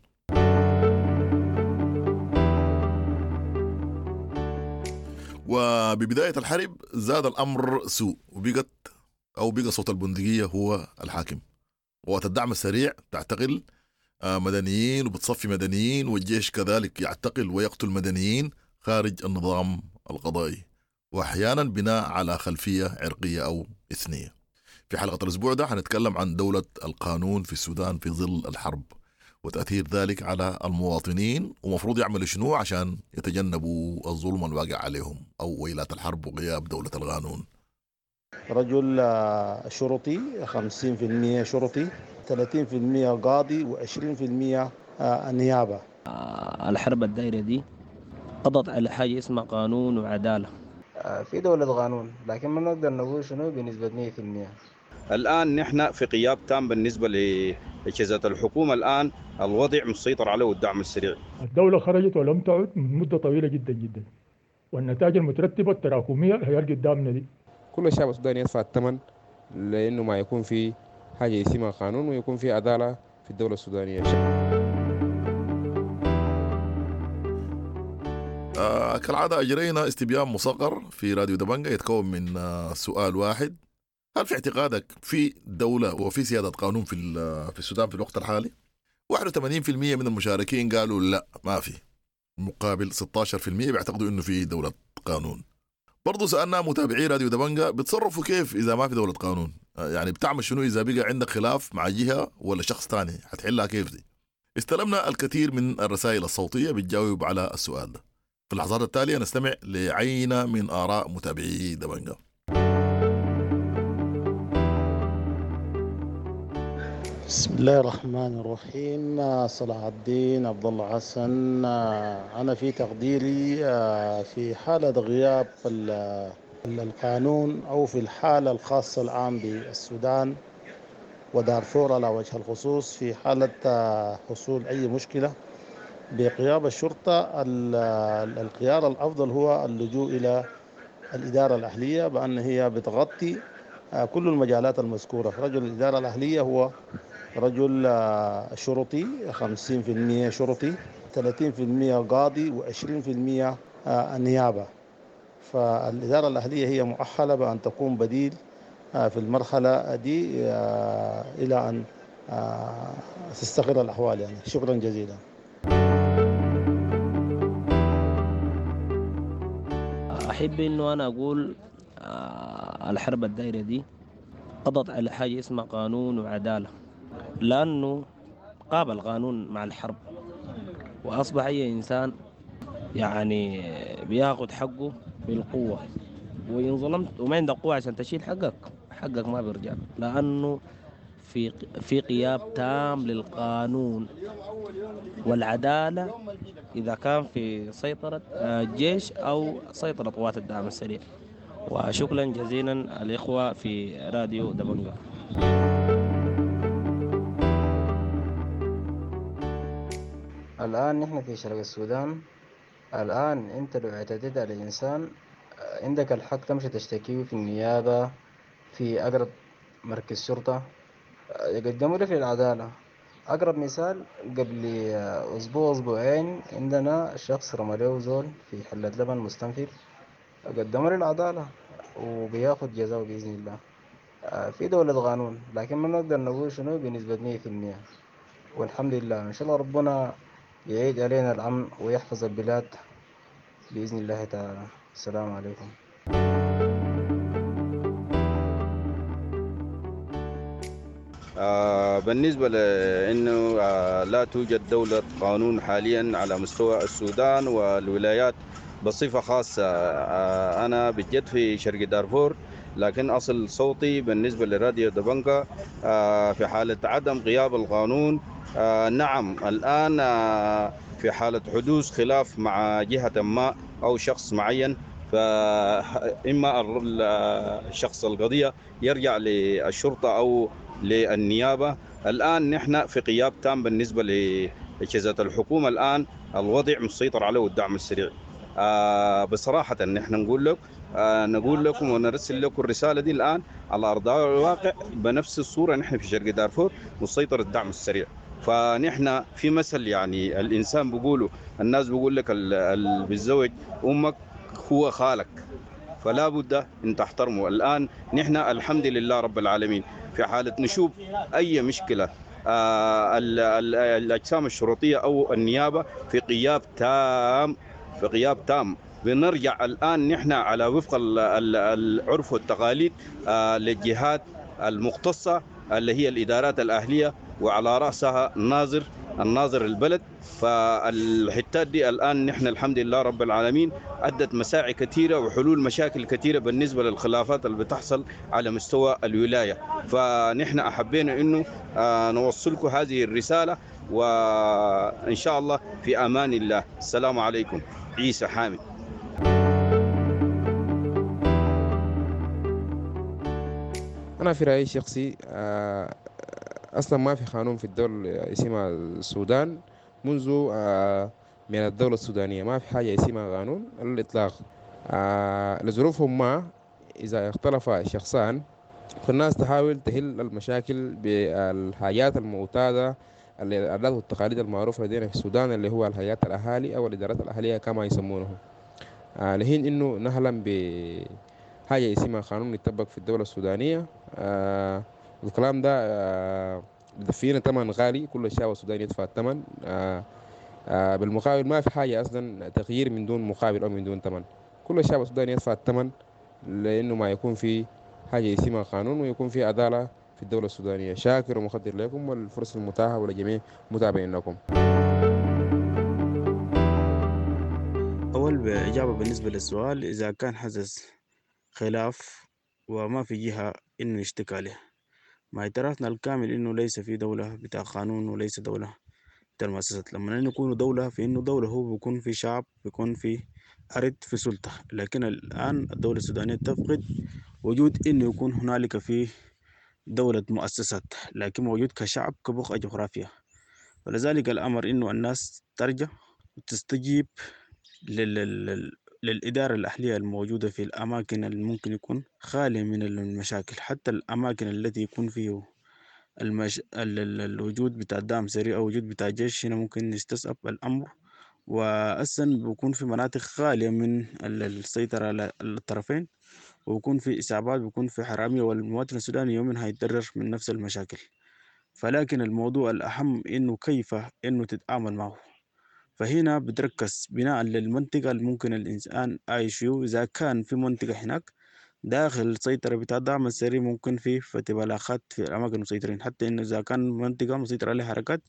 وببداية الحرب زاد الأمر سوء، وبقت أو بقى صوت البندقية هو الحاكم. وقت الدعم السريع تعتقل مدنيين وبتصفي مدنيين، والجيش كذلك يعتقل ويقتل مدنيين خارج النظام القضائي، وأحيانا بناء على خلفية عرقية أو إثنية. في حلقة الأسبوع ده هنتكلم عن دولة القانون في السودان في ظل الحرب وتأثير ذلك على المواطنين، ومفروض يعملوا شنو عشان يتجنبوا الظلم الواقع عليهم أو ويلات الحرب وغياب دولة القانون. رجل شرطي 50% شرطي، 30% قاضي، و20% نيابة. الحرب الدائرة دي قضت على حاجة اسمها قانون وعدالة. في دولة قانون، لكن ما نقدر نقول شنو بنسبة 100%. الآن نحن في غياب تام بالنسبة لأجهزة الحكومة. الآن الوضع مسيطر عليه والدعم السريع. الدولة خرجت ولم تعد من مدة طويلة جدا جدا، والنتائج المترتبة التراكمية هي قدامنا دي. كل الشعب السوداني يدفع الثمن لأنه ما يكون في حاجة اسمها قانون ويكون في عدالة في الدولة السودانية. كالعادة أجرينا استبيان مصغر في راديو دبنجة يتكون من سؤال واحد: هل في اعتقادك في دولة وفي سيادة قانون في السودان في الوقت الحالي؟ 81% من المشاركين قالوا لا ما في، مقابل 16% بيعتقدوا إنه في دولة قانون. برضو سألنا متابعي راديو دبنجة بتصرفوا كيف إذا ما في دولة قانون؟ يعني بتعمل شنو إذا بقى عندك خلاف مع جهة ولا شخص تاني؟ هتحلها كيف دي؟ استلمنا الكثير من الرسائل الصوتية بتجاوب على السؤال ده. في اللحظات التالية نستمع لعينة من آراء متابعي دبنجة. بسم الله الرحمن الرحيم. صلاح الدين عبد الله حسن. أنا في تقديري في حالة غياب القانون أو في الحالة الخاصة الآن بالسودان ودارفور على وجه الخصوص، في حالة حصول أي مشكلة بغياب الشرطة، الخيار الأفضل هو اللجوء إلى الإدارة الأهلية، بأن هي بتغطي كل المجالات المذكورة. رجل الإدارة الأهلية هو رجل شرطي 50% شرطي، 30% قاضي، و20% نيابة. فالإدارة الأهلية هي مؤهلة بأن تكون بديل في المرحلة دي إلى أن تستقر الأحوال يعني. شكرا جزيلا. أحب إنه أنا أقول الحرب الدائرة دي قضت على حاجة اسمها قانون وعدالة، لأنه قابل قانون مع الحرب، وأصبح أي إنسان يعني بياخد حقه بالقوة. وإن ظلمت وما عندك قوة عشان تشيل حقك، حقك ما بيرجع، لأنه في غياب تام للقانون والعدالة إذا كان في سيطرة الجيش أو سيطرة قوات الدعم السريع. وشكرا جزيلا الإخوة في راديو دبنجا. الآن نحن في شرق السودان، الآن أنت لو اعتديت على إنسان عندك الحق تمشي تشتكيه في النيابة في أقرب مركز شرطة، يقدموا لك للعدالة. أقرب مثال قبل أسبوع أسبوعين عندنا شخص رمى له زول في حلة لبن مستنفر، قدموا للعدالة وبياخد جزاءه بإذن الله. في دولة قانون، لكن ما نقدر نقول شنو بنسبة 100%. والحمد لله، إن شاء الله ربنا يعيد علينا الأمن ويحفظ البلاد بإذن الله تعالى. السلام عليكم. بالنسبة لأنه لا توجد دولة قانون حاليا على مستوى السودان والولايات بصفة خاصة. أنا بجد في شرق دارفور، لكن أصل صوتي بالنسبة لراديو دبنجا في حالة عدم غياب القانون. نعم الآن في حالة حدوث خلاف مع جهة ما أو شخص معين، فإما الشخص القضية يرجع للشرطة أو للنيابة. الآن نحن في غياب تام بالنسبة لأجهزة الحكومة، الآن الوضع مسيطر عليه الدعم السريع. بصراحة نحن نقول لك نقول لكم ونرسل لكم الرسالة دي الآن على أرض الواقع بنفس الصورة. نحن في شرق دارفور مسيطر الدعم السريع. فنحن في مثل يعني الإنسان بيقوله، الناس بيقول لك اللي بيتزوج أمك هو خالك، فلا بد أن تحترمه. الآن نحن الحمد لله رب العالمين في حالة نشوب أي مشكلة الأجسام الشرطية أو النيابة في غياب تام، في غياب تام. بنرجع الآن نحن على وفق العرف والتقاليد للجهات المختصة اللي هي الإدارات الأهلية، وعلى رأسها الناظر البلد. فالحتات دي الآن نحن الحمد لله رب العالمين أدت مساعي كثيرة وحلول مشاكل كثيرة بالنسبة للخلافات اللي بتحصل على مستوى الولاية. فنحن أحبينا أنه نوصلكم هذه الرسالة، وإن شاء الله في أمان الله. السلام عليكم. عيسى حامد. أنا في رأيي الشخصي أصلا ما في قانون في الدولة اسمها السودان منذ من الدولة السودانية، ما في حاجة اسمها قانون على الإطلاق. لظروفهم ما إذا اختلف شخصان فالناس تحاول تحل المشاكل بالحاجات المعتادة العادات والتقاليد المعروفة لدينا في السودان، اللي هو الحياة الأهالي أو الإدارات الأهلية كما يسمونه. لحين إنه نحلم بحاجة اسمها قانون يطبق في الدولة السودانية. الكلام ده فينا ثمن غالي، كل الشعب السوداني يدفع الثمن. بالمقابل ما في حاجة أصلا تغيير من دون مقابل أو من دون ثمن. كل الشعب السوداني يدفع الثمن لأنه ما يكون في حاجة اسمها قانون ويكون في عدالة في الدولة السودانية. شاكر ومقدر لكم والفرصة المتاحة ولجميع متابعينكم. أول إجابة بالنسبة للسؤال، إذا كان حدث خلاف وما في جهة إنه يشتكى عليه، مع اعترافنا الكامل إنه ليس في دولة بتاع قانون وليس دولة بتاع المؤسسات. لما نكون دولة في إنه دولة هو بيكون في شعب، بيكون في أرض، في سلطة. لكن الآن الدولة السودانية تفقد وجود إنه يكون هنالك في دولة مؤسسات، لكن موجود كشعب كبقعة جغرافية. ولذلك الأمر إنه الناس ترجع وتستجيب للإدارة الأهلية الموجودة في الأماكن اللي ممكن يكون خالية من المشاكل، حتى الأماكن التي يكون فيه الوجود بتاع دعم سريع أو وجود بتاع جيش، هنا ممكن يستصعب الأمر. وأصلا بيكون في مناطق خالية من السيطرة على الطرفين، وبيكون في إصابات، بيكون في حرامية، والمواطن السوداني يوميا هيتضرر من نفس المشاكل. فلكن الموضوع الأهم إنه كيف إنه تتعامل معه. فهنا بتركز بناء للمنطقة اللي ممكن الإنسان عايش فيه. إذا كان في منطقة هناك داخل السيطرة بتاع الدعم السري ممكن في بلاغات في الأماكن المسيطرين، حتى إنه إذا كان منطقة مسيطرة عليها حركات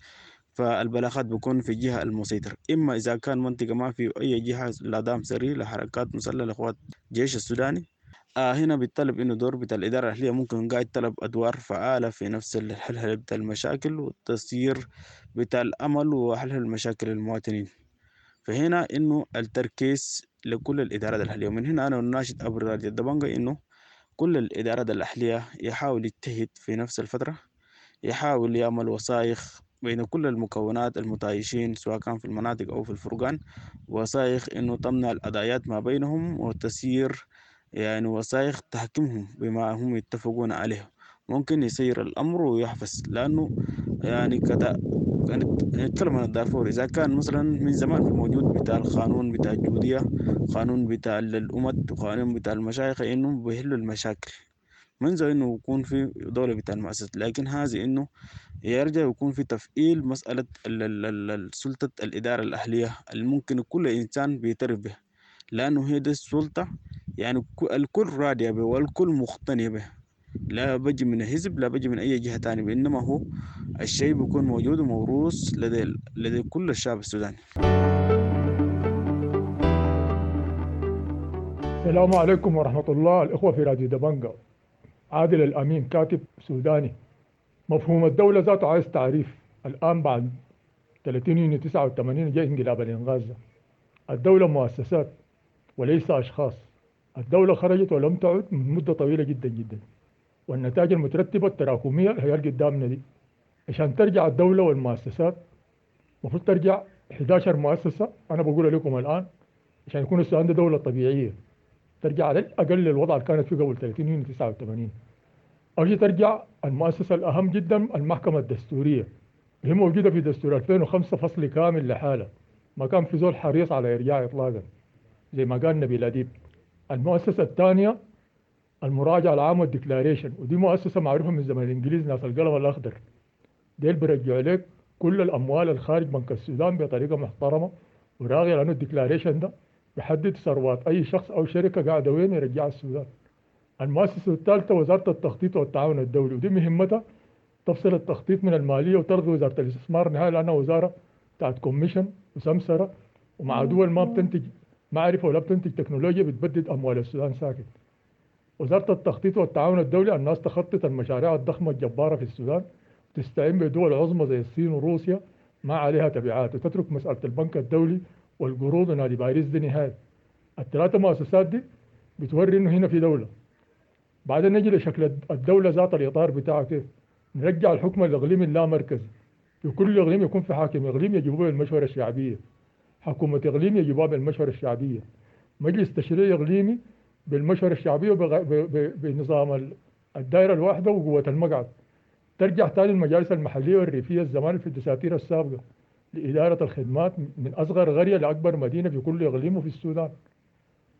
فالبلاغات بيكون في الجهة المسيطرة. إما إذا كان منطقة ما في أي جهة، لا دعم سري لا حركات مسلحة لا قوات الجيش السوداني، هنا بيطلب إنه دور بتاع الإدارة الأهلية ممكن قاعد طلب أدوار فعالة في نفس الحل بتاع المشاكل والتسيير بتاع الأمل وحل المشاكل المواطنين. فهنا إنه التركيز لكل الإدارات الأهلية. ومن هنا أنا نناشد عبر راديو دبنجة إنه كل الإدارات الأهلية يحاول يجتهد في نفس الفترة، يحاول يعمل وثائق بين كل المكونات المتعايشين سواء كان في المناطق أو في الفرقان، وثائق إنه تمنع الأدايات ما بينهم وتسيير يعني وثائق تحكمهم بما هم يتفقون عليه، ممكن يسير الأمر ويحفظ. لأنه يعني كذا نتكلم عن الدارفور، إذا كان مثلا من زمان في موجود بتاع القانون بتاع الجودية، قانون بتاع الأمد، وقانون بتاع المشايخ، إنه بيحلوا المشاكل منذ إنه يكون في دولة بتاع المؤسسات. لكن هذه إنه يرجع يكون في تفعيل مسألة سلطة الإدارة الأهلية اللي ممكن كل إنسان بيعترف به، لأنه هي دي السلطة يعني الكل راضي به والكل مقتنع به، لا بجي من حزب لا بجي من أي جهة تانية، إنما هو الشيء بيكون موجود وموروث لدى كل الشعب السوداني. السلام عليكم ورحمة الله. الإخوة في راديو دبنجة، عادل الأمين كاتب سوداني. مفهوم الدولة ذاته عايز تعريف. الآن بعد 30 يونيو 89 جاء انقلاب الإنغاز. الدولة مؤسسات وليس أشخاص. الدولة خرجت ولم تعد من مدة طويلة جدا جدا، والنتائج المترتبة التراكمية هي اللي قدامنا دي. عشان ترجع الدولة والمؤسسات المفروض ترجع 11 مؤسسة، أنا بقول لكم الآن عشان يكون السودان ده دولة طبيعية، ترجع على الأقل للوضع اللي كانت فيه قبل 30 يونيو 89. أول شيء ترجع المؤسسة الأهم جدا المحكمة الدستورية، هي موجودة في دستور 2005 فصل كامل لحالة، ما كان في زول حريص على إرجاع إطلاقا زي ما قال نبيل أديب. المؤسسة الثانية المراجعة العامة وال declaration، ودي مؤسسة معروفة من زمن الإنجليز ناس القلم الأخضر، ديل بيرجعوا لك كل الأموال الخارج بنك السودان بطريقة محترمة وراغية، لأنه ال declaration ده بيحدد ثروات أي شخص أو شركة قاعدة وين يرجعها السودان. المؤسسة الثالثة وزارة التخطيط والتعاون الدولي، ودي مهمتها تفصل التخطيط من المالية وتلغي وزارة الاستثمار نهائي، لأنها وزارة بتاعت commission وسمسرة ومع دول ما بتنتج معرفة ولا بتنتج تكنولوجيا، بتبدد أموال السودان ساكت. وزارة التخطيط والتعاون الدولي الناس تخطط المشاريع الضخمة الجبارة في السودان، تستعين بدول عظمى زي الصين وروسيا ما عليها تبعات، وتترك مسألة البنك الدولي والقروض ونادي باريس دي نهاية. الثلاثة مؤسسات دي بتوري إنه هنا في دولة. بعدين نجي لشكل الدولة ذات الإطار بتاعها كيف. نرجع الحكم الإقليمي اللامركزي، في كل إقليم يكون في حاكم إقليم يجيبوه بالمشورة الشعبية، حكومة إقليم يجيبوها بالمشورة الشعبية، مجلس تشريعي إقليمي بالمشورة الشعبية بنظام الدائرة الواحدة وقوة المقعد. ترجع تاني المجالس المحلية والريفية الزمان في الدساتير السابقة لإدارة الخدمات من أصغر قرية لأكبر مدينة في كل إقليم وفي السودان.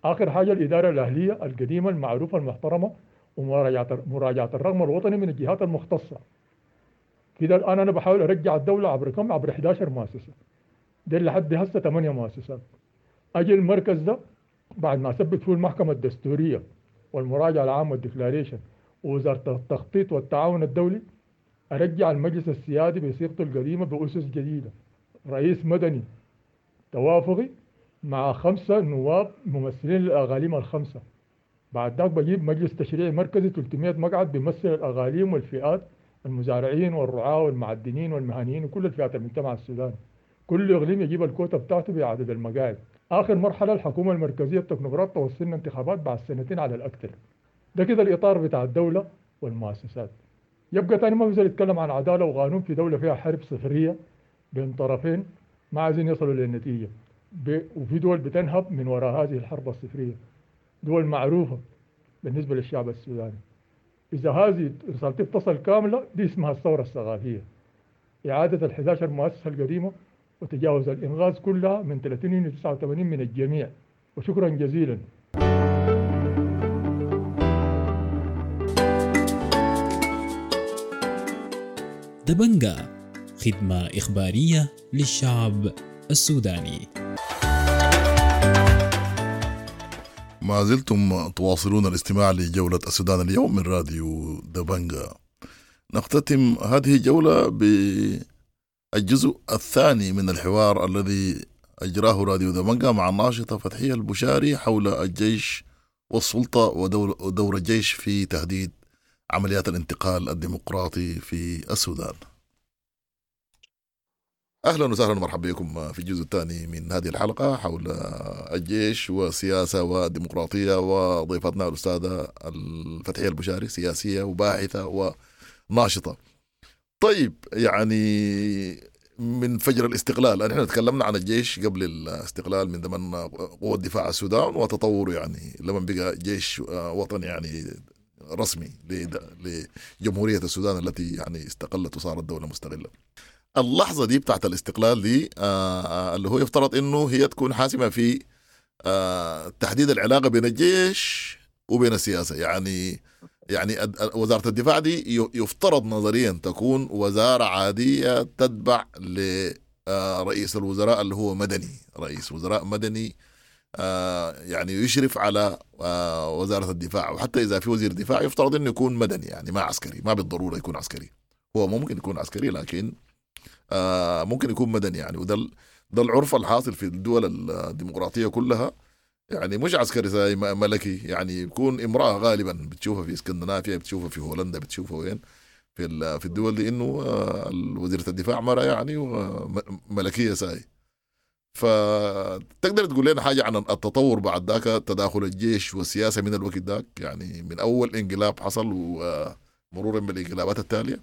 آخر حاجة الإدارة الأهلية القديمة المعروفة المحترمة ومراجعة الرقم الوطني من الجهات المختصة. كده الآن أنا بحاول أرجع الدولة عبر كم؟ عبر 11 مؤسسة. ده لحد هسه 8 مؤسسات. أجي المركز ده بعد ما أثبت فيه المحكمة الدستورية والمراجعة العامة والديكلاريشن ووزارة التخطيط والتعاون الدولي، أرجع المجلس السيادي بصيغته القديمة بأسس جديدة، رئيس مدني توافقي مع 5 نواب ممثلين للأقاليم الخمسة. بعد ذاك بجيب مجلس تشريعي مركزي 300 مقعد بيمثل الأقاليم والفئات، المزارعين والرعاة والمعدنين والمهنيين وكل الفئات المجتمع السوداني. كل إقليم يجيب الكوتا بتاعته بعدد المقاعد. آخر مرحلة الحكومة المركزية التكنوقراط توصلنا انتخابات بعد سنتين على الأكثر. ده كده الإطار بتاع الدولة والمؤسسات. يبقى تاني ما بيزال يتكلم عن عدالة وقانون في دولة فيها حرب صفرية بين طرفين ما عايزين يصلوا للنتيجة، وفي دول بتنهب من وراء هذه الحرب الصفرية، دول معروفة بالنسبة للشعب السوداني. إذا هذه رسالتي بتصل كاملة، دي اسمها الثورة الثقافية، إعادة ال11 مؤسسة القديمة وتجاوز الإنغاز كلها من 30 يونيو 89 من الجميع. وشكرا جزيلا. دبنجا، خدمة إخبارية للشعب السوداني. ما زلتم تواصلون الاستماع لجولة السودان اليوم من راديو دبنجا. نختتم هذه الجولة بالجزء الثاني من الحوار الذي أجراه راديو دبنجا مع الناشطة فتحية البشاري حول الجيش والسلطة ودور الجيش في تهديد عمليات الانتقال الديمقراطي في السودان. اهلا وسهلا ومرحبا بكم في الجزء الثاني من هذه الحلقة حول الجيش والسياسة والديمقراطية، وضيفتنا الاستاذة الفتحيه البشاري، سياسية وباحثه وناشطه. طيب، يعني من فجر الاستقلال نحن تكلمنا عن الجيش قبل الاستقلال من زمن قوة دفاع السودان وتطوره، يعني لما بقى جيش وطني يعني رسمي لجمهورية السودان التي يعني استقلت وصارت دولة مستقلة. اللحظة دي بتاعت الاستقلال دي اللي هو يفترض انه هي تكون حاسمة في تحديد العلاقة بين الجيش وبين السياسة. يعني وزارة الدفاع دي يفترض نظريا تكون وزارة عادية تتبع لرئيس الوزراء اللي هو مدني، رئيس وزراء مدني يعني يشرف على وزارة الدفاع، وحتى إذا في وزير دفاع يفترض إنه يكون مدني، يعني ما عسكري، ما بالضرورة يكون عسكري، هو ممكن يكون عسكري لكن ممكن يكون مدني يعني. وده ده العرف الحاصل في الدول الديمقراطية كلها، يعني مش عسكري زي ملكي، يعني يكون امرأة غالبا، بتشوفها في اسكندنافيا، بتشوفها في هولندا، بتشوفها وين في الدول دي انه وزيرة الدفاع مرأة يعني وملكية ساي. فتقدر تقول لنا حاجة عن التطور بعد ذاك، تداخل الجيش والسياسة من الوقت ذاك، يعني من أول انقلاب حصل ومرورا بالانقلابات التالية؟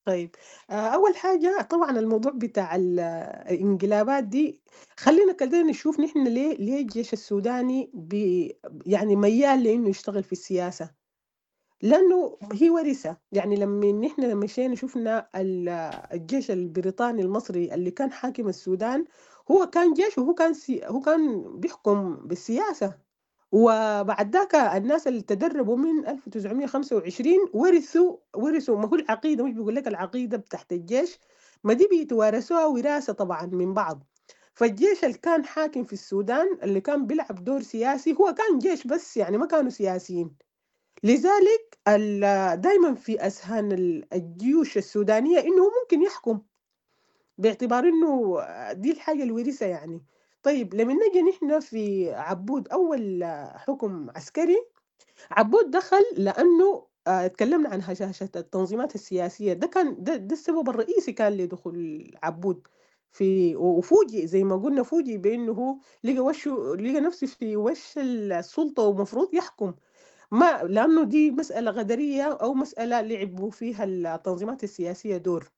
طيب، أول حاجة طبعا الموضوع بتاع الانقلابات دي، خلينا كده نشوف نحن ليه الجيش السوداني يعني ميال لإنه يشتغل في السياسة، لأنه هي ورثة. يعني لما نحن لما مشينا شفنا الجيش البريطاني المصري اللي كان حاكم السودان، هو كان جيش وهو كان هو كان بيحكم بالسياسة. وبعد ذاك الناس اللي تدربوا من 1925 ورثوا ما هو العقيدة، مش بيقول لك العقيدة بتاعت الجيش، ما دي بيتوارثوها وراثة طبعا من بعض. فالجيش اللي كان حاكم في السودان اللي كان بيلعب دور سياسي هو كان جيش بس، يعني ما كانوا سياسيين. لذلك دايما في أذهان الجيوش السودانية إنه ممكن يحكم باعتبار إنه دي الحاجة الورثة يعني. طيب، لما نجي نحن في عبود أول حكم عسكري، عبود دخل لأنه اتكلمنا عن هشاشة التنظيمات السياسية، ده كان ده السبب الرئيسي كان لدخول عبود في، وفوجئ زي ما قلنا، فوجئ بأنه هو لقى نفسه في وش السلطة ومفروض يحكم، ما لأنه دي مسألة غدرية أو مسألة لعبوا فيها التنظيمات السياسية دور.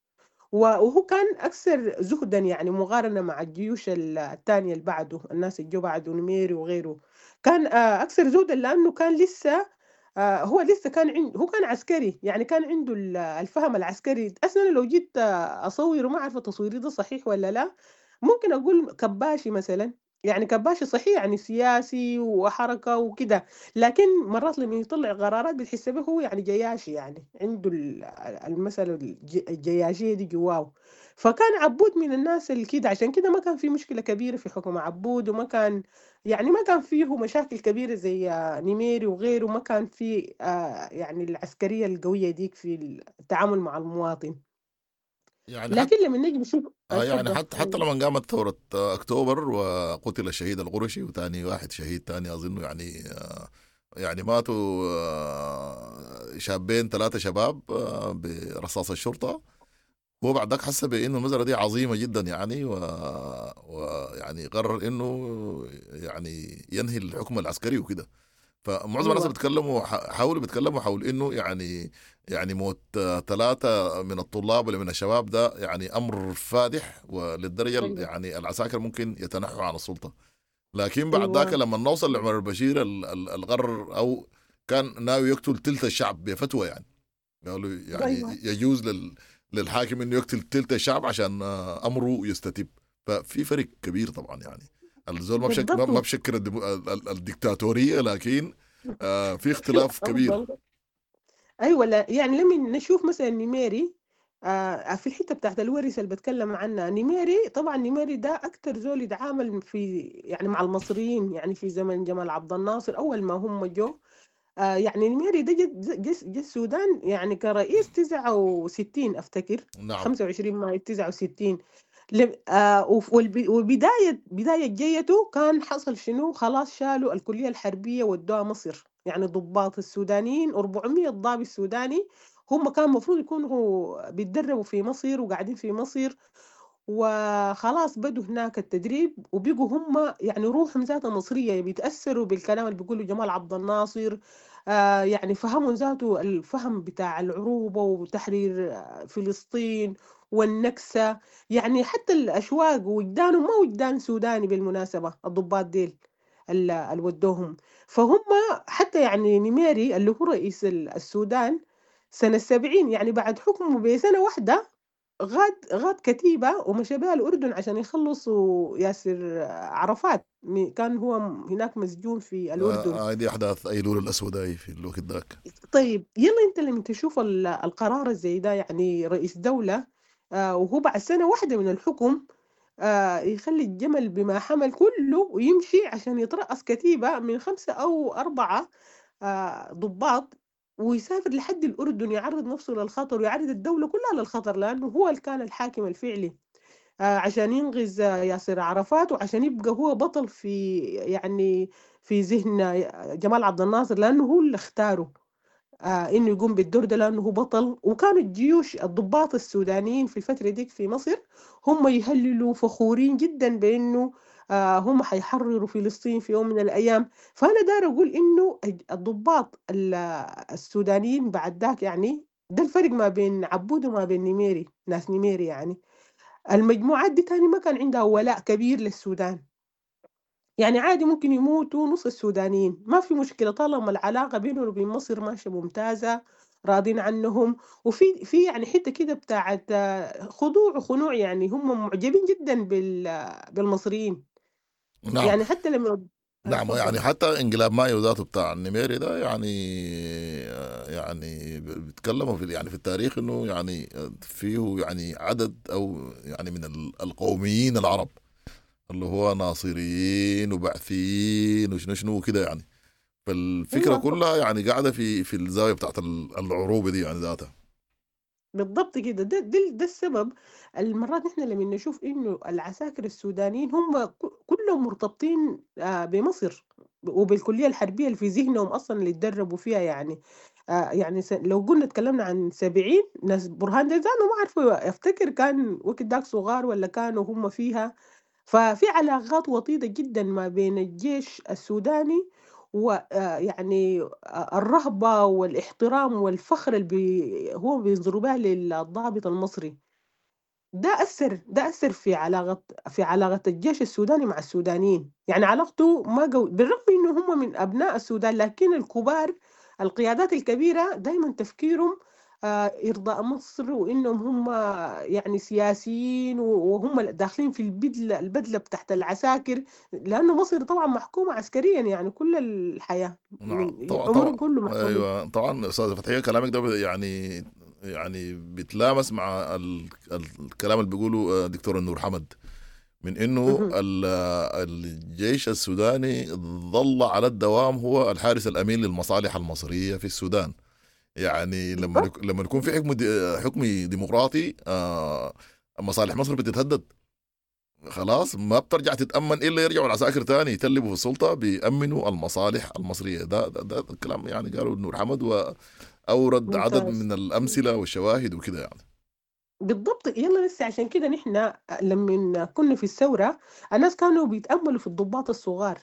وهو كان أكثر زهدا يعني مقارنة مع الجيوش الثانية اللي بعده، الناس اللي جو بعده نميري وغيره، كان أكثر زهدا لأنه كان لسه هو لسه كان عنده، هو كان عسكري يعني، كان عنده الفهم العسكري. أصلا لو جيت أصور، وما عارفة تصويري ده صحيح ولا لا، ممكن أقول كباشي مثلا، يعني كباشي صحيح يعني سياسي وحركة وكده، لكن مرات لما يطلع قرارات بتحس به هو يعني جياشي، يعني عنده المسألة الجياشية دي جواه. فكان عبود من الناس اللي كده، عشان كده ما كان في مشكلة كبيرة في حكم عبود، وما كان يعني ما كان فيه مشاكل كبيرة زي نميري وغيره، ما كان في يعني العسكرية القوية ديك في التعامل مع المواطن. يعني لكن لما نجي نشوف يعني حتى لما قامت ثورة أكتوبر وقتل الشهيد القرشي وثاني واحد شهيد ثاني أظنه، يعني ماتوا شابين 3 شباب برصاص الشرطة. هو بعد ذاك حس بأنه المزرعة دي عظيمة جدا يعني، ويعني قرر إنه يعني ينهي الحكم العسكري وكده. فمعظم الناس بيتكلموا حاولوا بيتكلموا حول انه يعني موت 3 من الطلاب ولا من الشباب ده يعني امر فادح، وللدرجه يعني العساكر ممكن يتنحوا عن السلطة. لكن بعد ذاك لما نوصل لعمر البشير الغر او كان ناوي يقتل ثلث الشعب بفتوى، يعني قالوا يعني يجوز للحاكم انه يقتل ثلث الشعب عشان امره يستتب. ففي فرق كبير طبعا، يعني الزول ما بشكر الدكتاتورية، لكن في اختلاف كبير. أيوة، لا يعني لما نشوف مثلا نميري في الحتة بتاعت الورثة اللي بتكلم عنها، نميري طبعا نميري ده أكتر زول يتعامل في يعني مع المصريين، يعني في زمن جمال عبد الناصر أول ما هم جو، يعني نميري ده جه السودان يعني كرئيس 69 أفتكر، نعم. 25 مايو 69. وبداية بداية جيته كان حصل شنو؟ خلاص شالوا الكلية الحربية ودوها مصر. يعني ضباط السودانيين 400 ضابط سوداني هم كان المفروض يكونوا بيتدربوا في مصر وقاعدين في مصر، وخلاص بدوا هناك التدريب وبقوا هم يعني روحهم ذاتها مصرية، بيتأثروا بالكلام اللي بيقوله جمال عبد الناصر. يعني فهموا ذاته الفهم بتاع العروبة وتحرير فلسطين والنكسة، يعني حتى الأشواق وجدانهم ما وجدان سوداني بالمناسبة، الضباط ديل اللي ودوهم. فهم حتى يعني نميري اللي هو رئيس السودان سنة 70، يعني بعد حكمه بسنة واحدة غاد كتيبة ومشى بها الأردن عشان يخلصوا ياسر عرفات، كان هو هناك مسجون في الأردن. دي أحداث أيلول الأسود هاي في الوقت ذاك. طيب يلا أنت لما تشوف القرار زي ده، يعني رئيس دولة وهو بعد سنة واحدة من الحكم يخلي الجمل بما حمل كله ويمشي عشان يترأس كتيبة من 5 أو 4 ضباط، ويسافر لحد الأردن، يعرض نفسه للخطر ويعرض الدولة كلها للخطر، لأنه هو اللي كان الحاكم الفعلي عشان ينغز ياسر عرفات وعشان يبقى هو بطل في يعني في ذهن جمال عبد الناصر، لأنه هو اللي اختاره إنه يقوم بالدور ده لأنه هو بطل. وكانوا الجيوش الضباط السودانيين في الفترة ديك في مصر هم يهللوا فخورين جدا بإنه هم حيحرروا فلسطين في يوم من الأيام. فأنا داير أقول إنه الضباط السودانيين بعد ذاك، يعني ده الفرق ما بين عبود وما بين نميري، ناس نميري يعني المجموعات دي تاني ما كان عندها ولاء كبير للسودان، يعني عادي ممكن يموتوا نص السودانيين ما في مشكلة طالما العلاقة بينهم وبين مصر ماشية ممتازة، راضين عنهم. وفي يعني حتة كده بتاعت خضوع وخنوع، يعني هم معجبين جدا بالمصريين. نعم. يعني حتى لما نعم، يعني حتى انقلاب مايو ذاته بتاع النميري ده يعني بيتكلموا في يعني في التاريخ انه يعني فيه يعني عدد او يعني من القوميين العرب اللي هو ناصريين وبعثيين وشنو شنو كده يعني. فالفكرة كلها يعني قاعدة في الزاوية بتاعت العروبة دي يعني ذاتها. بالضبط كده. ده السبب المرات نحن لما نشوف انه العساكر السودانيين هم كلهم مرتبطين بمصر وبالكلية الحربية اللي في ذهنهم اصلا اللي اتدربوا فيها. يعني يعني لو قلنا تكلمنا عن 70 ناس برهان ده زانوا ما عارفوا، افتكر كان وقت داك صغار ولا كانوا هم فيها. ففي علاقات وطيدة جدا ما بين الجيش السوداني ويعني الرهبة والاحترام والفخر اللي هو بينظروا بها للضابط المصري. ده أثر في علاقة الجيش السوداني مع السودانيين، يعني علاقته ما قوي بالرغم إنه هم من أبناء السودان، لكن الكبار القيادات الكبيرة دايما تفكيرهم إرضاء مصر وإنهم هم يعني سياسيين وهم داخلين في البدلة بتاعت العساكر، لأنه مصر طبعا محكومة عسكريا يعني كل الحياة. نعم طبعا كله محكوم. أيوة طبعا أستاذ فتحية كلامك ده يعني بيتلامس مع الكلام اللي بيقوله دكتور النور حمد من إنه الجيش السوداني ظل على الدوام هو الحارس الأمين للمصالح المصرية في السودان. يعني لما يكون في حكم ديمقراطي مصالح مصر بتتهدد خلاص، ما بترجع تتأمن إلا يرجعوا العساكر تاني يتلبوا في السلطة بيأمنوا المصالح المصرية. ده الكلام يعني قالوا النور حمد وأورد عدد من الأمثلة والشواهد وكده يعني. بالضبط. يلا لسه عشان كده نحن لما كنا في الثورة الناس كانوا بيتأملوا في الضباط الصغار،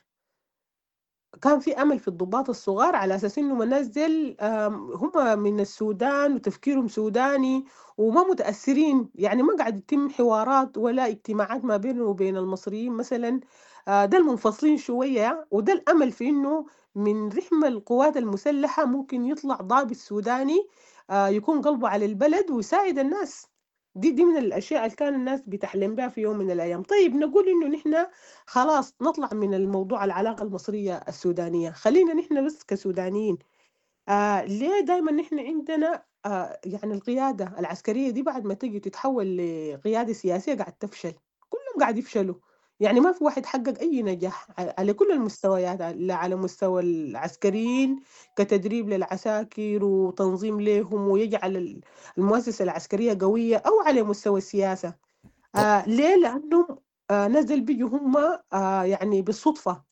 كان في أمل في الضباط الصغار على أساس إنه منزل هم من السودان وتفكيرهم سوداني وما متأثرين، يعني ما قاعد يتم حوارات ولا اجتماعات ما بينه وبين المصريين مثلا. ده المنفصلين شوية، وده الأمل في إنه من رحم القوات المسلحة ممكن يطلع ضابط سوداني يكون قلبه على البلد ويساعد الناس. دي من الأشياء اللي كان الناس بتحلم بها في يوم من الأيام. طيب نقول إنه نحن خلاص نطلع من الموضوع العلاقة المصرية السودانية، خلينا نحن بس كسودانيين. ليه دايما نحن عندنا يعني القيادة العسكرية دي بعد ما تجي تتحول لقيادة سياسية قاعد تفشل، كلهم قاعد يفشلوا، يعني ما في واحد حقق أي نجاح على كل المستويات، لا على مستوى العسكريين كتدريب للعساكر وتنظيم لهم ويجعل المؤسسة العسكرية قوية، أو على مستوى السياسة. ليه؟ لأنه نزل بيجوا هم يعني بالصدفة.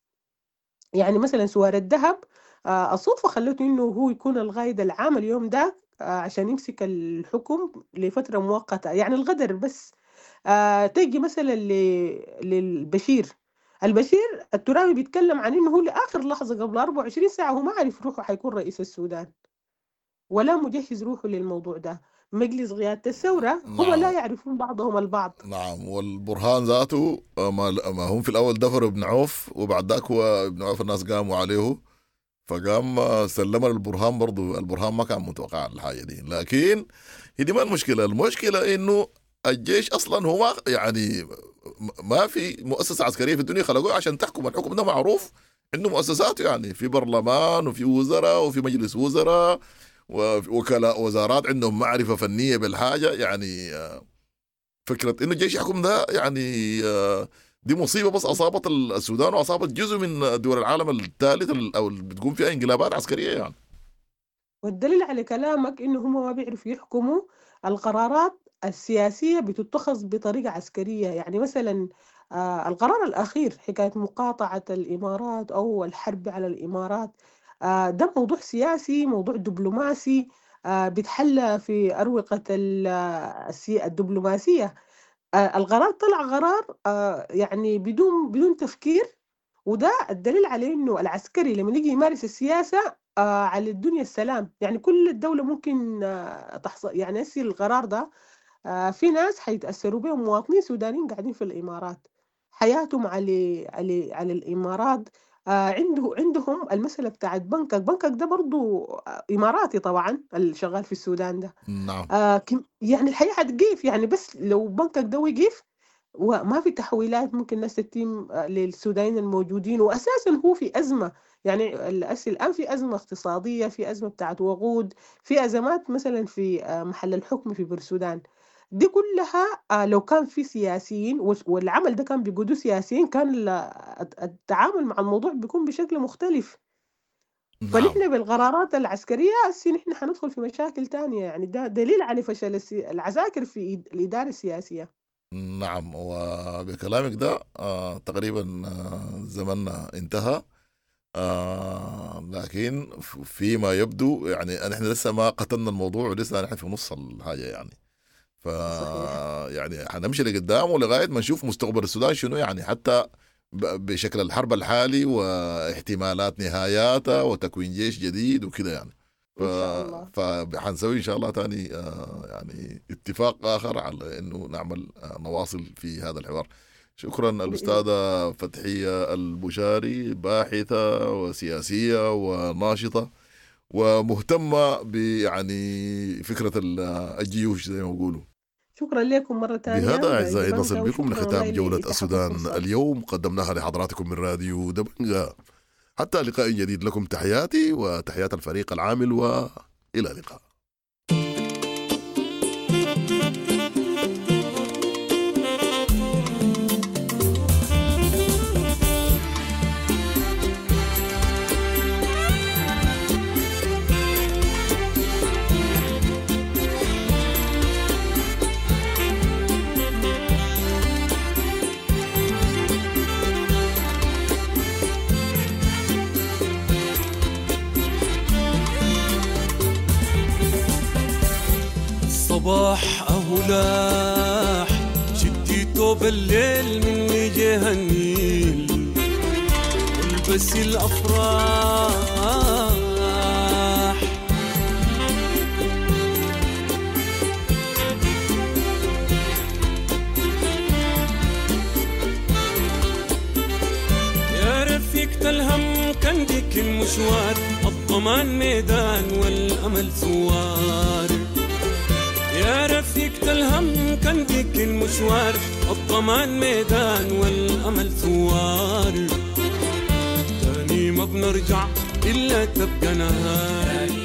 يعني مثلا سوار الذهب الصدفة خلته إنه هو يكون القائد العام اليوم ده عشان يمسك الحكم لفترة مؤقتة، يعني الغدر بس. تيجي مثلا للبشير، البشير الترابي بيتكلم عن إنه هو لآخر لحظة قبل 24 ساعة هو ما عارف روحه حيكون رئيس السودان ولا مجهز روحه للموضوع ده. مجلس قيادة الثورة هم لا يعرفون بعضهم البعض. نعم، والبرهان ذاته ما هم في الأول دفروا ابن عوف، وبعد ذاك هو ابن عوف الناس قاموا عليه، فقام سلم للبرهان برضو. البرهان ما كان متوقع الحاجة دي، لكن هي دي ما المشكلة. المشكلة إنه الجيش أصلا هو يعني ما في مؤسسة عسكرية في الدنيا خلقوها عشان تحكم. الحكم ده معروف عنده مؤسسات، يعني في برلمان وفي وزراء وفي مجلس وزراء ووكلاء وزارات عندهم معرفة فنية بالحاجة. يعني فكرة إنه الجيش يحكم ده يعني دي مصيبة بس أصابت السودان وأصابت جزء من دول العالم الثالث أو اللي بتقوم فيها انقلابات عسكرية يعني. والدليل على كلامك إنه هم ما بيعرفوا يحكموا، القرارات السياسية بتتخذ بطريقة عسكرية. يعني مثلا القرار الأخير حكاية مقاطعة الإمارات أو الحرب على الإمارات، ده موضوع سياسي، موضوع دبلوماسي، بيتحلى في أروقة الدبلوماسية. القرار طلع قرار يعني بدون تفكير، وده الدليل على إنه العسكري لما يجي يمارس السياسة على الدنيا السلام. يعني كل الدولة ممكن تحصل، يعني هسي القرار ده في ناس حيتأثروا بهم، مواطنين سودانيين قاعدين في الإمارات، حياتهم على على على الإمارات. عندهم المسألة بتاعت بنكك، بنكك ده برضو إماراتي طبعا اللي شغال في السودان ده. نعم. يعني الحياة حتقيف، يعني بس لو بنكك ده وقف وما في تحويلات ممكن الناس تتم للسودانيين الموجودين. وأساسا هو في أزمة، يعني الآن في أزمة اقتصادية، في أزمة بتاعت وقود، في أزمات مثلا في محل الحكم في بورسودان. دي كلها لو كان في سياسيين والعمل ده كان بيقودوا سياسيين، كان التعامل مع الموضوع بيكون بشكل مختلف. نعم. فنحن بالقرارات العسكرية هسي نحن حندخل في مشاكل تانية. يعني ده دليل على فشل العساكر في الإدارة السياسية. نعم، وبكلامك ده تقريبا زمننا انتهى، لكن فيما يبدو يعني نحن لسه ما قتلنا الموضوع ولسه نحن في نص الحاجة يعني. ف يعني حنمشي لقدام ولغاية ما نشوف مستقبل السودان شنو، يعني حتى بشكل الحرب الحالي واحتمالات نهاياتها وتكوين جيش جديد وكده يعني. فحنسوي إن شاء الله تاني يعني اتفاق آخر على إنه نعمل نواصل في هذا الحوار. شكرا الأستاذة فتحية البشاري، باحثة وسياسية وناشطة ومهتمة بيعني فكرة الجيوش زي ما بيقولوا. شكرا لكم مرة ثانية. بهذا أعزائي نصل بكم لختام جولة السودان اليوم، قدمناها لحضراتكم من راديو دبنجا. حتى لقاء جديد، لكم تحياتي وتحيات الفريق العامل، وإلى اللقاء. صباح أهلاح شديته بالليل من وجه النيل، والبس الأفراح. يا رفيقة الهم كان ديك المشوار، الضمان ميدان والأمل ثوار. يا رفيقة الهم كان ديك المشوار، الضمان ميدان والأمل ثوار. تاني ما بنرجع إلا تبقى نهار.